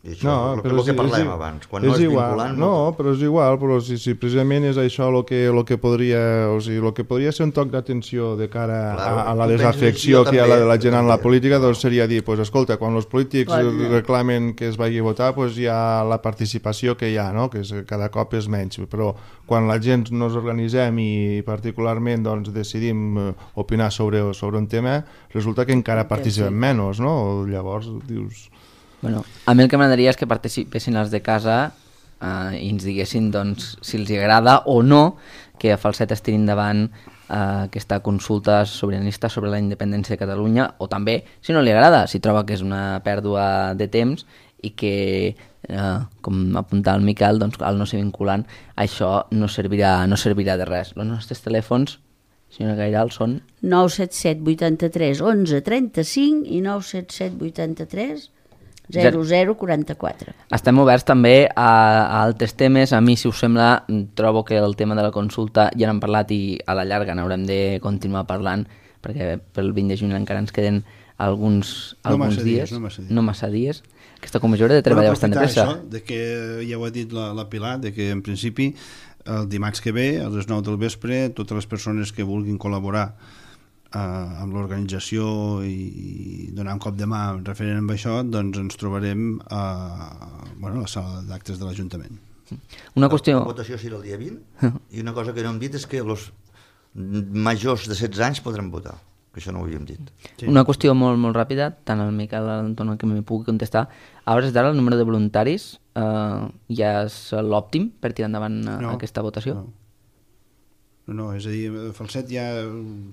I això és el que parlàvem abans, quan no és vinculant... No, però és igual, però si precisament és això el que podria ser un toc d'atenció de cara a la desafecció que hi ha de la gent en la política, doncs seria dir, escolta, quan els polítics reclamen que es vagi a votar, hi ha la participació que hi ha, que cada cop és menys, però quan la gent nos organitzem i particularment decidim opinar sobre un tema, resulta que encara participem menys, no? Llavors dius... Bueno, a mi el que m'agradaria és que participessin els de casa i ens diguessin si els agrada o no que a Falset es tiri endavant aquesta consulta sobiranista sobre la independència de Catalunya, o també, si no li agrada, si troba que és una pèrdua de temps i que, com apuntava el Miquel, al no ser vinculant, això no servirà de res. Els nostres telèfons, senyora Gairal, són... 977 83 11 35 i 977 83 0044. Estem oberts també a altres temes. A mi, si us sembla, trobo que el tema de la consulta ja n'hem parlat i a la llarga n'haurem de continuar parlant, perquè pel 20 de juny encara ens queden alguns dies. No massa dies. Aquesta comissió haurà de treballar bastant de pressa. Això, de que ja ho ha dit la Pilar, de que en principi el dimarts que ve, a les 9 del vespre, totes les persones que vulguin col·laborar amb l'organització i donar un cop de mà referent amb això, doncs ens trobarem a la sala d'actes de l'Ajuntament. Una qüestió... La votació serà el dia 20 i una cosa que no hem dit és que els majors de 16 anys podran votar, que això no ho havíem dit. Sí. Una qüestió molt, molt ràpida, tant el Miquel Anton que m'hi pugui contestar. A hores d'ara el número de voluntaris ja és l'òptim per tirar endavant aquesta votació? No, és a dir, Falset hi ha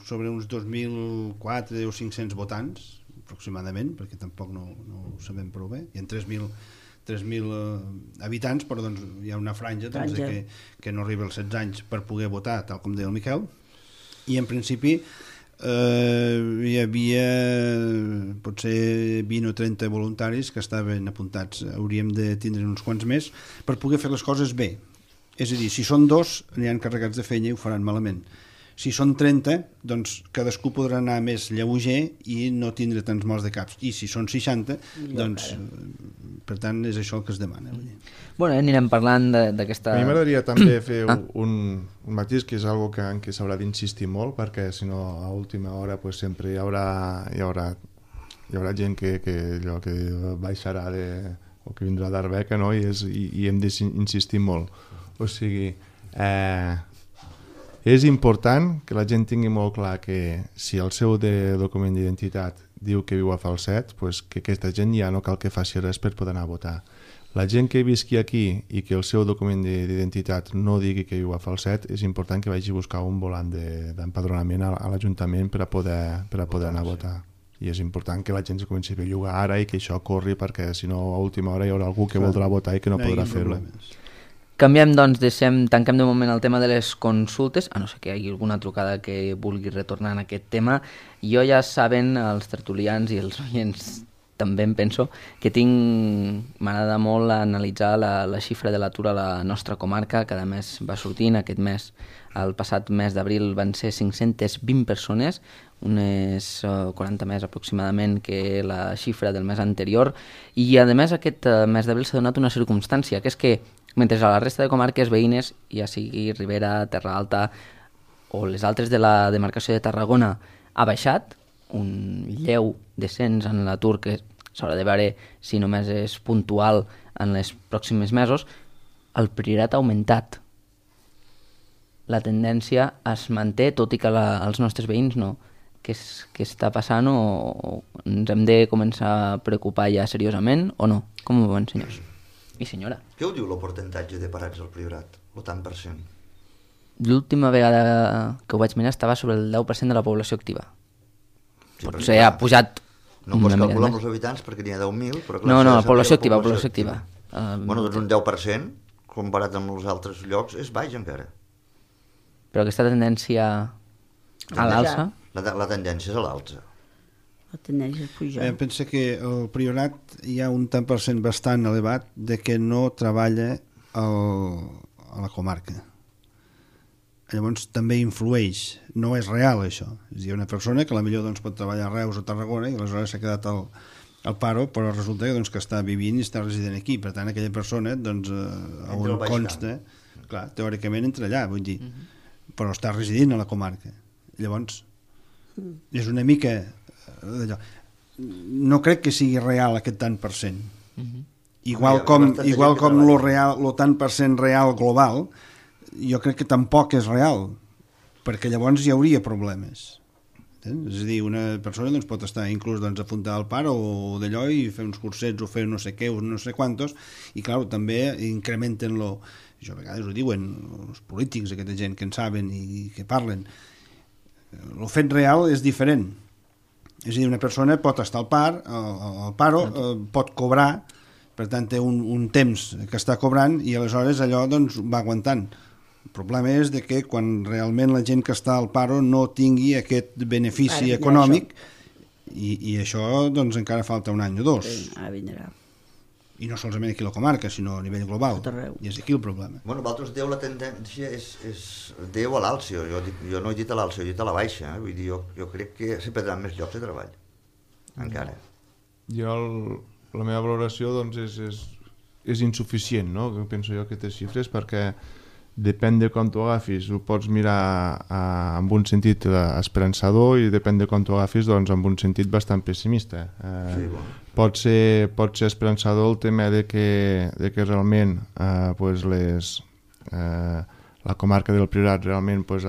sobre uns 2.004 o 500 votants, aproximadament, perquè tampoc no ho sabem prou bé. Hi ha 3.000 habitants, però doncs, hi ha una franja que no arriba als 16 anys per poder votar, tal com deia el Miquel, i en principi hi havia potser 20 o 30 voluntaris que estaven apuntats. Hauríem de tindre uns quants més per poder fer les coses bé. És a dir, si són 2, aniran carregats de feina i ho faran malament. Si són 30, doncs cadascú podrà anar més lleuger i no tindre tants mals de caps. I si són 60, doncs, per tant, és això el que es demana. Bueno, anirem parlant d'aquesta... A mi m'agradaria també fer un matís, que és una cosa en què s'haurà d'insistir molt, perquè si no a última hora pues, sempre hi haurà gent que baixarà o que vindrà d'Arbeca, no? I hem d'insistir molt. O sigui, és important que la gent tingui molt clar que si el seu document d'identitat diu que viu a Falset, pues que aquesta gent ja no cal que faci res per poder anar a votar. La gent que visqui aquí i que el seu document d'identitat no digui que viu a Falset, és important que vagi a buscar un volant d'empadronament a l'Ajuntament per a poder anar a votar. I és important que la gent es comenci a bellugar ara i que això corri, perquè si no a última hora hi haurà algú que voldrà votar i que no podrà fer-ho. Canviem, doncs, tanquem de moment el tema de les consultes, a no ser que hi hagi alguna trucada que vulgui retornar en aquest tema. Jo ja saben, els tertulians i els oients també em penso, que m'agrada molt analitzar la xifra de l'atur a la nostra comarca. Cada mes va sortint, aquest mes, el passat mes d'abril van ser 520 persones, unes 40 més aproximadament que la xifra del mes anterior, i a més aquest mes d'abril s'ha donat una circumstància, que és que mentre a la resta de comarques veïnes, ja sigui Ribera, Terra Alta o les altres de la demarcació de Tarragona, ha baixat un lleu descens en l'atur que s'haurà de veure si només és puntual en els pròxims mesos, el Priorat ha augmentat. La tendència es manté, tot i que els nostres veïns no. Què està passant o ens hem de començar a preocupar ja seriosament o no? Com ho veuen, senyors? I senyora. Què ho diu el percentatge de parats al Priorat? El tant per cent? L'última vegada que ho vaig mirar estava sobre el 10% de la població activa. Sí, potser ha pujat... No pots calcular amb els habitants perquè n'hi ha 10.000, però... No, la població activa, població activa. Bueno, doncs un 10%, comparat amb els altres llocs, és baix encara. Però aquesta tendència a l'alça... La tendència és a l'alça. La tendència és pujar. Pensa que al Priorat hi ha un tant per cent bastant elevat de que no treballa a la comarca. Llavors també influeix, no és real això. És a dir, una persona que potser doncs, pot treballar a Reus o Tarragona i aleshores s'ha quedat al paro, però resulta doncs, que està vivint i està resident aquí. Per tant, aquella persona, doncs, on consta, clar, teòricament entra allà, vull dir, però està residint a la comarca. Llavors, és una mica... No crec que sigui real aquest tant per cent. Igual com lo tant per cent real global, jo crec que tampoc és real, perquè llavors hi hauria problemes. És a dir, una persona doncs, pot estar inclús doncs, apuntada al paro o d'allò i fer uns cursets o fer no sé què o no sé quantos, i clar, també incrementen-lo. Això a vegades ho diuen els polítics, aquesta gent que en saben i que parlen. El fet real és diferent. És a dir, una persona pot estar al paro, pot cobrar, per tant té un temps que està cobrant i aleshores allò doncs, va aguantant. El problema és de que quan realment la gent que està al paro no tingui aquest benefici econòmic i això doncs encara falta un any o dos. Vindrà. I no solament aquí a la comarca, sinó a nivell global. I és aquí el problema. Bueno, vosaltres dieu la tendència és Déu a l'alça. Jo no he dit a l'alça, he dit a la baixa. Vull dir, jo crec que se perdran més llocs de treball. Encara. La meva valoració doncs, és insuficient, no? Penso jo, aquestes xifres, perquè depèn de com t'ho agafis. Ho pots mirar en un sentit esperançador i depèn de com t'ho agafis doncs, en un sentit bastant pessimista. Sí, bueno. Pot ser esperançador el tema de que realment pues la comarca del Priorat realment pues,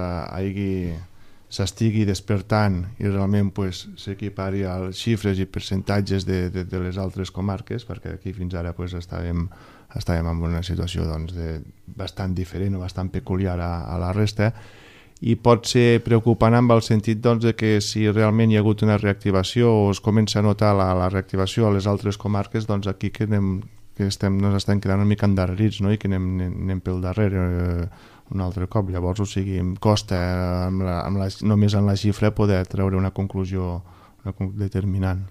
s'estigui despertant i realment pues, s'equipari als xifres i percentatges de les altres comarques, perquè aquí fins ara pues, estàvem en una situació doncs, bastant diferent o bastant peculiar a la resta, i pot ser preocupant amb el sentit doncs, de que si realment hi ha hagut una reactivació o es comença a notar la reactivació a les altres comarques, doncs aquí ens estem quedant una mica endarrerits, no? I que anem pel darrere un altre cop. Llavors, o sigui, em costa només en la xifra poder treure una conclusió determinant.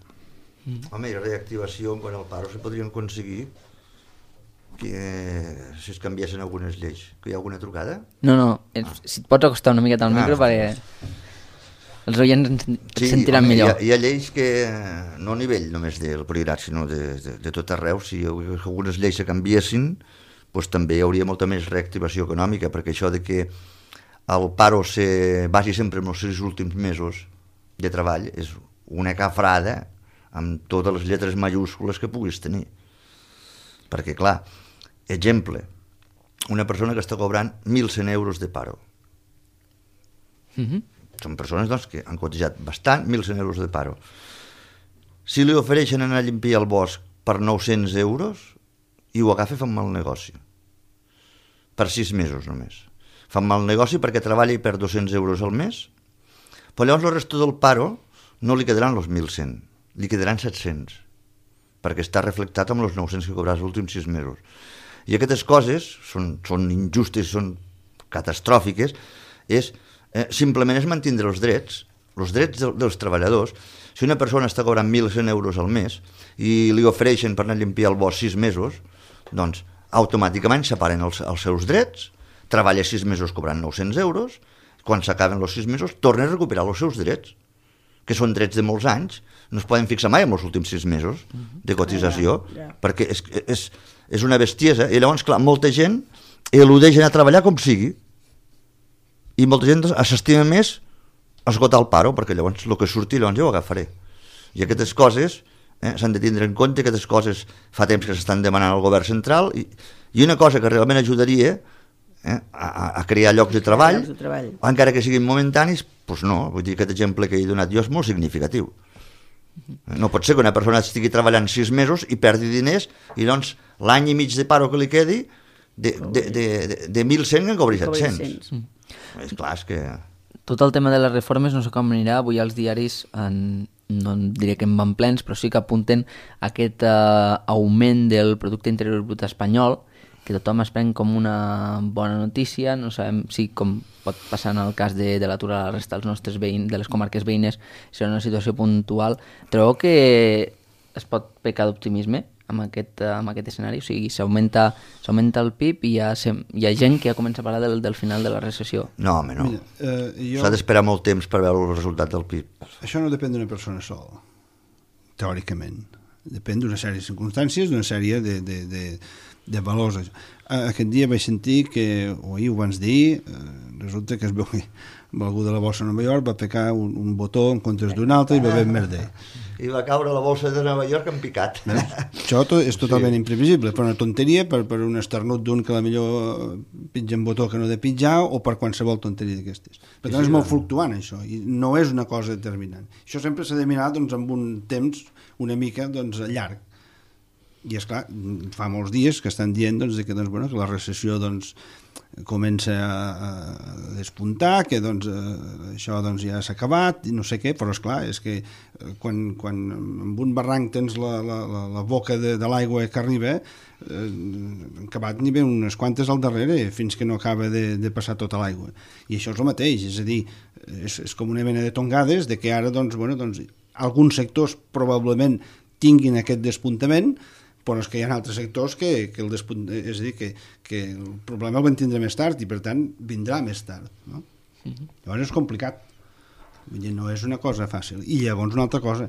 Home, i la reactivació quan al paro se podrien aconseguir que si es canviessin algunes lleis. Que hi ha alguna trucada? No, si et pots acostar una miqueta al micro perquè els oients et sentiran millor. Hi ha lleis que, no a nivell només del Priorat, sinó de tot arreu, si algunes lleis se canviessin, doncs també hi hauria molta més reactivació econòmica, perquè això de que el paro se basi sempre en els 6 últims mesos de treball és una cafrada amb totes les lletres majúscules que puguis tenir. Perquè, clar, exemple, una persona que està cobrant 1.100 euros de paro. Són persones doncs, que han cotitzat bastant, 1.100 euros de paro. Si li ofereixen anar a limpiar el bosc per 900 euros, i ho agafa, fan mal negoci. Per 6 mesos només. Fan mal negoci perquè treballa i perd 200 euros al mes, però llavors el resto del paro no li quedaran els 1.100, li quedaran 700, perquè està reflectat amb els 900 que cobraràs els últims 6 mesos. I aquestes coses són injustes, són catastròfiques, simplement és mantindre els drets dels treballadors. Si una persona està cobrant 1.100 euros al mes i li ofereixen per anar a limpiar el bosc 6 mesos, doncs automàticament separen els seus drets, treballa 6 mesos cobrant 900 euros, quan s'acaben els 6 mesos torna a recuperar els seus drets, que són drets de molts anys, no es poden fixar mai en els últims 6 mesos de cotització, perquè és una bestiesa, i llavors, clar, molta gent eludeix anar a treballar com sigui, i molta gent s'estima més esgotar el paro, perquè llavors el que surti llavors jo ho agafaré. I aquestes coses s'han de tindre en compte, aquestes coses fa temps que s'estan demanant al govern central, i una cosa que realment ajudaria a crear llocs de treball, encara que siguin momentanis, doncs no, vull dir, aquest exemple que he donat jo és molt significatiu. No pot ser que una persona estigui treballant 6 mesos i perdi diners i doncs l'any i mig de paro que li quedi de 1.100 en cobri 700. És clar, és que... Tot el tema de les reformes no sé com anirà. Avui als diaris, no diré que en van plens, però sí que apunten aquest augment del producte interior brut espanyol, que tothom es pren com una bona notícia. No sabem si, com pot passar en el cas de l'atur a la resta dels nostres veïns, de les comarques veïnes, serà una situació puntual. Trobeu que es pot pecar d'optimisme amb aquest escenari? O sigui, s'augmenta el PIB i hi ha gent que ja comença a parlar del final de la recessió. No, home, no. S'ha d'esperar molt temps per veure el resultat del PIB. Això no depèn d'una persona sola, teòricament. Depèn d'una sèrie de circumstàncies, d'una sèrie de valors. Aquest dia vaig sentir que, o ahir ho vans dir, resulta que es veu que algú de la Borsa de Nova York va pecar un botó en comptes d'un altre i va haver merder. I va caure la Borsa de Nova York en picat. Això és totalment imprevisible, per una tonteria, per un esternut d'un que millor pitja un botó que no de pitjar, o per qualsevol tonteria d'aquestes. Per tant, és molt fluctuant, això, i no és una cosa determinant. Això sempre s'ha de mirar amb un temps una mica llarg. I esclar, fa molts dies que estan dient que la recessió comença a despuntar, que això ja s'ha acabat i no sé què, però esclar, és que quan amb un barranc tens la boca de l'aigua que arriba, acabat n'hi ve unes quantes al darrere fins que no acaba de passar tota l'aigua. I això és el mateix, és a dir, és com una mena de tongades de que ara alguns sectors probablement tinguin aquest despuntament, però és que hi ha altres sectors que el és a dir, que el problema el van tindre més tard i per tant vindrà més tard, no? Llavors és complicat, vull dir, no és una cosa fàcil. I llavors una altra cosa,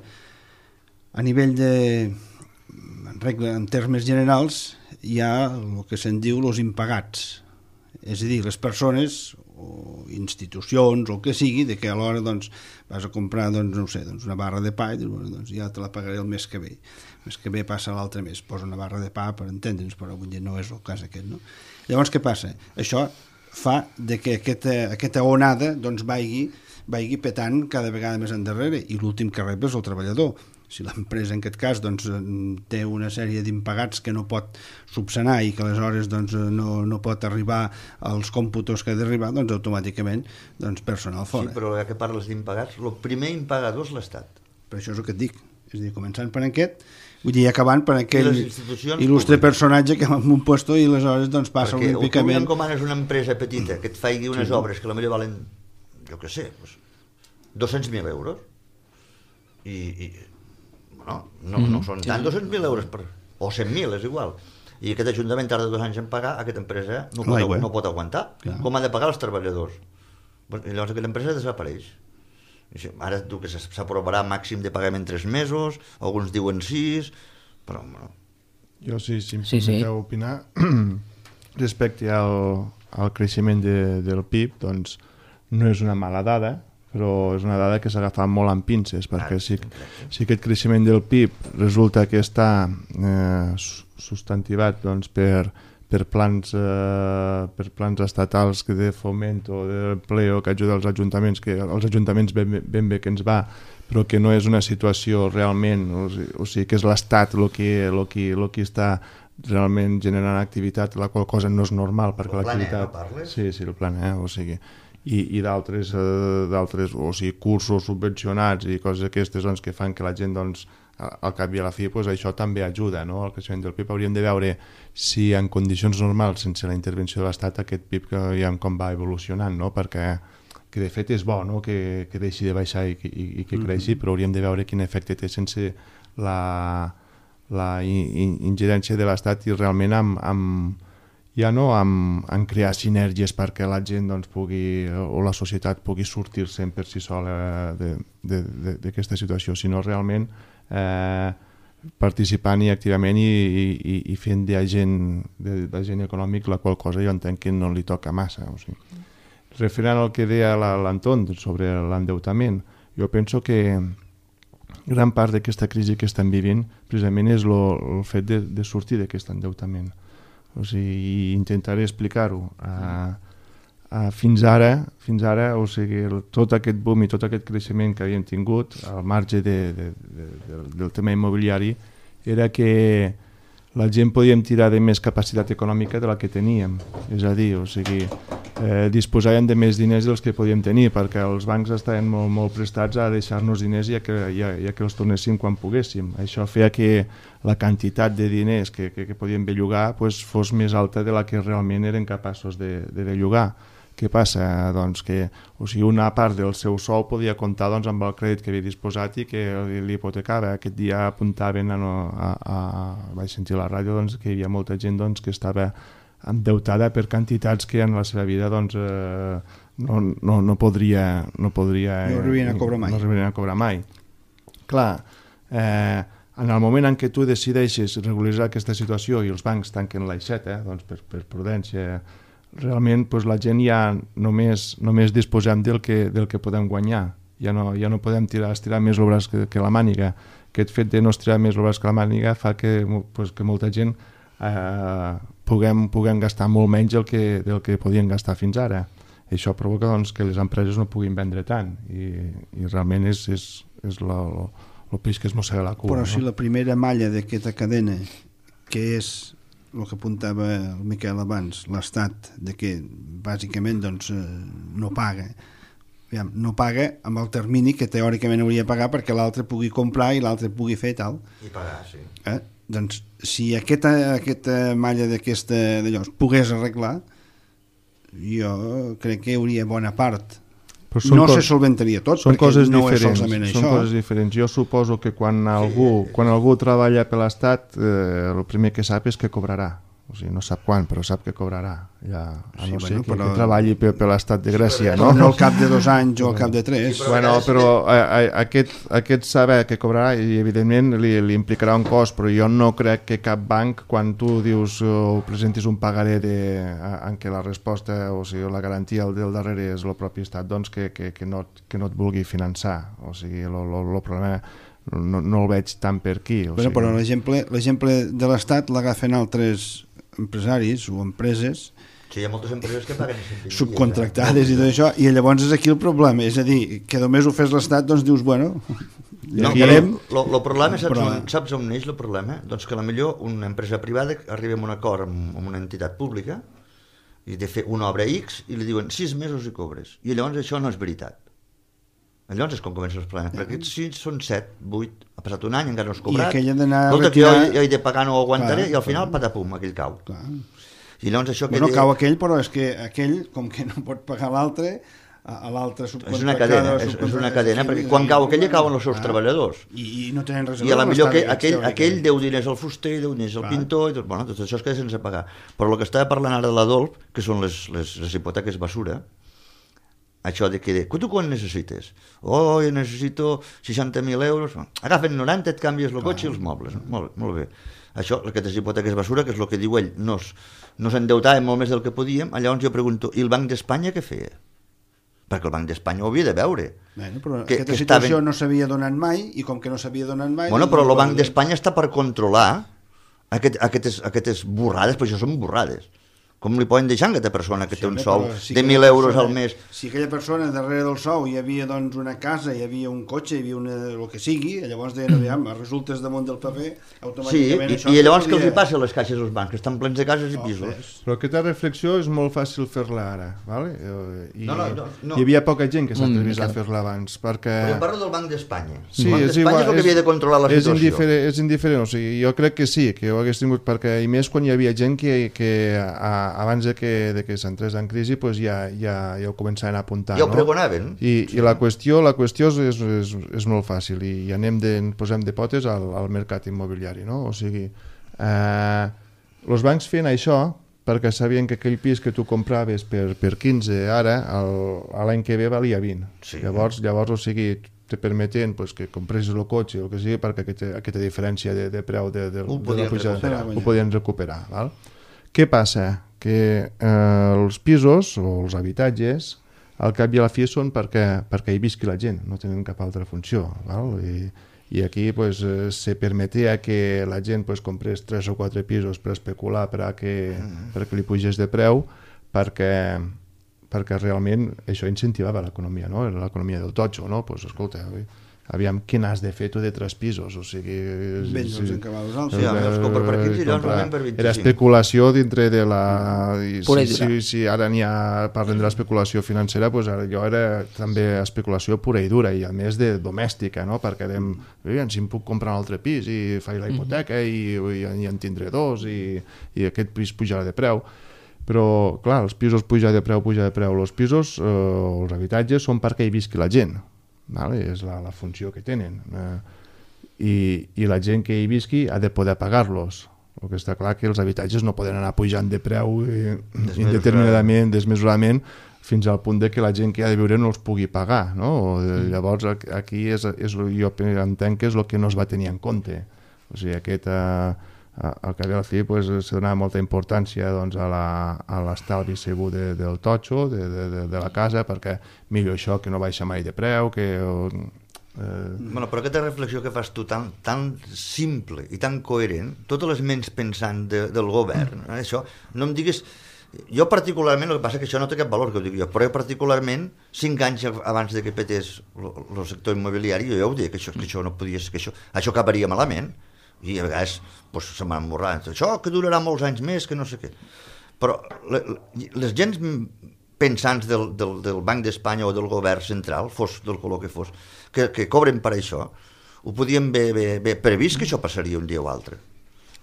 a nivell en termes generals hi ha el que se'n diu els impagats, és a dir, les persones o institucions o el que sigui, de que a l'hora doncs, vas a comprar una barra de pa i dius, bueno, doncs ja te la pagaré el mes que ve. El mes que ve passa l'altre mes, posa una barra de pa per entendre'ns, però vull dir, no és el cas aquest, no? Llavors què passa? Això fa de que aquesta onada doncs, vagi petant cada vegada més endarrere i l'últim que rep és el treballador. Si l'empresa en aquest cas doncs, té una sèrie d'impagats que no pot subsanar i que aleshores doncs, no pot arribar als còmputos que ha d'arribar, doncs automàticament doncs, personal fora. Sí, però ja que parles d'impagats, el primer impagador és l'Estat. Per això és el que et dic. És a dir, començant per aquest, vull dir, acabant per aquell il·lustre personatge que va en un puesto i aleshores doncs, passa olímpicament... Perquè tu encomanes una empresa petita que et faci unes obres que potser valen, jo què sé, 200.000 euros i no són tant 200.000 euros o 100.000, és igual, i aquest ajuntament tarda 2 anys en pagar, aquesta empresa no pot aguantar. Com ha de pagar els treballadors? I llavors aquella empresa desapareix. Ara diu que s'aprovarà màxim de pagament 3 mesos, alguns diuen 6, però bueno. Jo si em permeteu opinar respecte al creixement del PIB, doncs no és una mala dada, però és una dada que s'ha agafat molt amb pinces, perquè si aquest creixement del PIB resulta que està substantivat doncs, per plans estatals de foment o d'empleo que ajuda als ajuntaments, que els ajuntaments ben bé que ens va, però que no és una situació realment, o sigui que és l'Estat el que està realment generant activitat, la qual cosa no és normal, perquè l'activitat... El Plan E, no parles? Sí, el Plan E, o sigui... i d'altres o sigui, cursos subvencionats i coses aquestes doncs, que fan que la gent doncs, al cap i a la fi doncs, això també ajuda, no? Al creixement del PIB. Hauríem de veure si en condicions normals, sense la intervenció de l'Estat, aquest PIB que veiem com va evolucionant, no? Perquè que de fet és bo, no? que deixi de baixar i que creixi, però hauríem de veure quin efecte té sense la ingerència de l'Estat i realment en crear sinergies perquè la gent doncs, pugui, o la societat pugui sortir-se'n per si sola d'aquesta situació, sinó realment participant-hi activament i fent d'agent econòmic, la qual cosa jo entenc que no li toca massa. O sigui. Referent al que deia l'Anton sobre l'endeutament, jo penso que gran part d'aquesta crisi que estem vivint precisament és el fet de sortir d'aquest endeutament. O sigui, intentaré explicar-ho. Fins ara, o sigui, tot aquest boom i tot aquest creixement que havíem tingut, al marge del tema immobiliari, era que la gent podíem tirar de més capacitat econòmica de la que teníem. És a dir, o sigui, disposàvem de més diners dels que podíem tenir, perquè els bancs estaven molt prestats a deixar-nos diners i que els tornéssim quan poguéssim. Això feia que la quantitat de diners que podíem bellugar pues, fos més alta de la que realment eren capaços de bellugar. Què passa? Doncs que una part del seu sou podia comptar doncs, amb el crèdit que havia disposat i que li hipotecava. Aquest dia apuntaven, vaig sentir a la ràdio doncs, que hi havia molta gent doncs, que estava endeutada per quantitats que en la seva vida doncs, no podria... No arribarien a cobrar mai. Clar, en el moment en què tu decideixes regularitzar aquesta situació i els bancs tanquen l'aixeta, doncs, per prudència, realment doncs, la gent ja només disposem del que podem guanyar. Ja no podem estirar més el braç que la màniga. Aquest fet de no estirar més el braç que la màniga fa que molta gent puguem gastar molt menys del que podien gastar fins ara. Això provoca doncs, que les empreses no puguin vendre tant i realment és el peix que es mossega la cua. Però si la primera malla d'aquesta cadena, que és el que apuntava el Miquel abans, l'Estat, de que bàsicament doncs, no paga amb el termini que teòricament hauria de pagar perquè l'altre pugui comprar i l'altre pugui fer tal. I pagar, sí. Doncs si aquesta malla d'allò es pogués arreglar, jo crec que hi hauria bona part no se solventaria tot, perquè no és solament això. Són coses diferents. Jo suposo que quan algú treballa per l'Estat, el primer que sap és que cobrarà. O sigui, no sap quan, però sap que cobrarà. Ja, a no ser que treballi per l'Estat de Grècia, no? No al cap de 2 anys o al cap de 3. Bueno, però aquest saber que cobrarà, i evidentment li implicarà un cost, però jo no crec que cap banc, quan tu dius o presentis un pagaré en què la resposta, o sigui, la garantia del darrere és el propi Estat, doncs que no et vulgui finançar. O sigui, el problema no el veig tant per aquí. Però l'exemple de l'Estat l'agafen altres empresaris o empreses hi ha moltes empreses que paguen subcontractades i tot això, i llavors és aquí el problema, és a dir, que només ho fes l'Estat, doncs dius, bueno, no, el problema, saps on neix el problema? Doncs que potser una empresa privada arriba a un acord amb una entitat pública i de fer una obra X i li diuen 6 mesos i cobres, i llavors això no és veritat. Llavors és com comencen els problemes, perquè si són 7, 8, ha passat un any, encara no has cobrat, escolta, que jo he de pagar, no ho aguantaré, i al final, patapum, aquell cau. I llavors això que... cau aquell, però és que aquell, com que no pot pagar l'altre, a l'altre subcontractada... És una cadena, perquè quan cau aquell, cauen els seus treballadors. I no tenen res a veure. I a la millor aquell deu diners al fuster, deu diners al pintor, i tot això es queda sense pagar. Però el que estava parlant ara de l'Adolf, que són les hipoteques basura, això de que, tu quan necessites? Jo necessito 60.000 euros, agafen 90, et canvies el cotxe i els mobles. Molt bé. Això, aquestes hipoteques basura, que és el que diu ell, no s'endeutàvem molt més del que podíem, llavors jo pregunto, i el Banc d'Espanya què feia? Perquè el Banc d'Espanya ho havia de veure. Però aquesta situació no s'havia donat mai, i com que no s'havia donat mai... Però el Banc d'Espanya està per controlar aquestes borrades, però això són borrades. Com li poden deixar a aquesta persona que té un sou de 1.000 euros al mes? Si aquella persona darrere del sou hi havia doncs una casa, hi havia un cotxe, hi havia el que sigui, llavors deien, aviam, resultes damunt del paper, automàticament això... Sí, i llavors què els hi passa a les caixes dels bancs, que estan plens de cases i pisos? Però aquesta reflexió és molt fàcil fer-la ara, ¿vale? Hi havia poca gent que s'atrevís a fer-la abans, perquè... Però parlo del Banc d'Espanya. El Banc d'Espanya és el que havia de controlar la situació. És indiferent, o sigui, jo crec que sí, que ho hagués tingut, perquè, i més quan hi havia gent que abans de que s'entrés en crisi pues ja ho començaven a apuntar. Ja ho pregonaven. I la qüestió és molt fàcil i posem de potes al mercat immobiliari, no? O sigui, els bancs feien això perquè sabien que aquell pis que tu compraves per 15 ara, l'any que ve valia 20. Sí. Llavors, o sigui, te permeten que compressis el cotxe o el que sigui perquè aquesta diferència de preu ho podien recuperar. Val? Què passa? Que els pisos o els habitatges al cap i a la fi són perquè hi visqui la gent, no tenen cap altra funció, val? I aquí se permetia que la gent comprés 3 o 4 pisos per especular perquè li pugés de preu, perquè realment això incentivava l'economia, no? L'economia del totxo, no? Escolta, aviam, què n'has de fer tu de 3 pisos? O sigui... Vens en cabals alts. Era especulació dintre de la... Si ara parlem de l'especulació financera, allò era també especulació pura i dura, i a més de domèstica, no? Perquè si em puc comprar un altre pis i faig la hipoteca i en tindré 2 i aquest pis pujarà de preu. Però, clar, els pisos puja de preu. Els pisos, els habitatges, són perquè hi visqui la gent. Vale? És la funció que tenen i la gent que hi visqui ha de poder pagar-los. El que està clar que els habitatges no poden anar pujant de preu indeterminadament, desmesuradament, fins al punt de que la gent que ha de viure no els pugui pagar, no? Llavors aquí jo entenc que és el que no es va tenir en compte. O sigui, al cap i a la fi se donava molta importància a l'estalvi segur del totxo, de la casa, perquè millor això que no baixa mai de preu, Però aquesta reflexió que fas tu tan simple i tan coherent, totes les ments pensant del govern, això, no em diguis... Jo particularment, el que passa és que això no té cap valor, que ho dic jo, però jo particularment, 5 anys abans que petés el sector immobiliari, jo ja ho dic, que això no podia ser, que això acabaria malament, i a vegades se m'han morrat, això que durarà molts anys més, que no sé què. Però les gens pensants del Banc d'Espanya o del govern central, fos del color que fos, que cobren per això, ho podien haver previst que això passaria un dia o altre.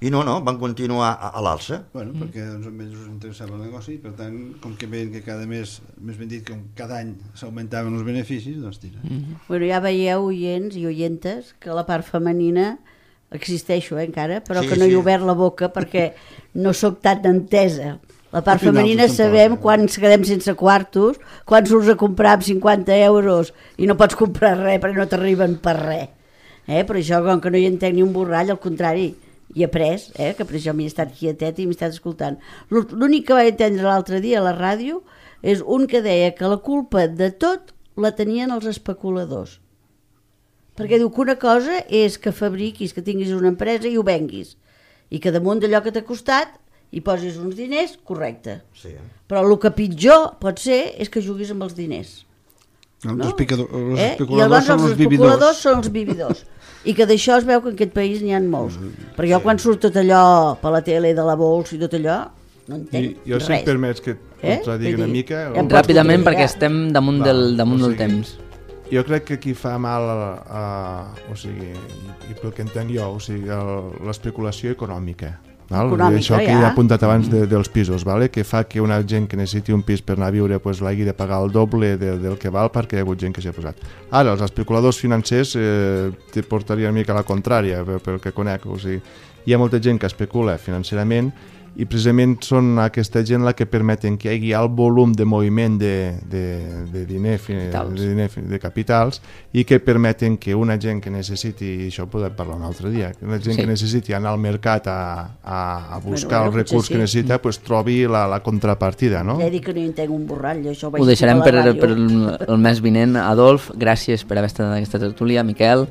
I no, van continuar a l'alça. Bueno, perquè doncs, a ells us interessava el negoci, per tant, com que veien que cada mes, més ben dit, que cada any s'augmentaven els beneficis, doncs tira. Bueno, ja veieu, oients i oientes, que la part femenina existeixo encara, però que no he obert la boca perquè no sóc tan entesa. La part femenina sabem quan ens quedem sense quartos, quan surts a comprar amb 50 euros i no pots comprar res perquè no t'arriben per res. Per això, com que no hi entenc ni un borrall, al contrari, i he après, que per això m'he estat quietet i m'he estat escoltant. L'únic que vaig entendre l'altre dia a la ràdio és un que deia que la culpa de tot la tenien els especuladors. Perquè diu que una cosa és que fabriquis, que tinguis una empresa i ho venguis, i que damunt d'allò que t'ha costat hi posis uns diners, correcte. Sí. Però el que pitjor pot ser és que juguis amb els diners. No? No? Els I especuladors llavors els especuladors són els vividors. I que d'això es veu que en aquest país n'hi ha molts. Però jo quan surt tot allò per la tele de la Bols i tot allò, no entenc Jo si em res. permets que et contradigui una mica... Ja em pots Ràpidament, contradir. perquè estem damunt del temps. Jo crec que aquí fa mal, o sigui, i pel que entenc jo, o sigui, l'especulació econòmica. Val? Econòmica, això que ja. he apuntat abans dels pisos, vale? Que fa que una gent que necessiti un pis per anar a viure pues, l'hagi de pagar el doble del que val perquè hi ha hagut gent que s'hi ha posat. Ara, els especuladors financers te portarien una mica a la contrària pel que conec, o sigui, hi ha molta gent que especula financerament i precisament són aquesta gent la que permeten que hi hagi el volum de moviment de de capitals i que permeten que una gent que necessiti, i això ho podem parlar un altre dia, que una gent que necessiti anar al mercat a buscar el recurs que necessita, pues, trobi la contrapartida, no? Ja he dit que no hi entenc un borrall, això ho vaig Ho deixarem dir a la per ràdio. el mes vinent. Adolf, gràcies per haver estat en aquesta tertúlia. Miquel,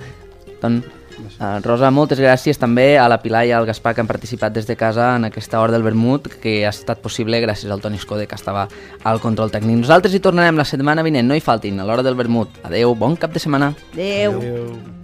Rosa, moltes gràcies també a la Pilar i al Gaspar que han participat des de casa en aquesta hora del vermut, que ha estat possible gràcies al Toni Escode, que estava al control tècnic. Nosaltres hi tornarem la setmana vinent, no hi faltin, a l'hora del vermut. Adeu, bon cap de setmana. Adeu. Adéu.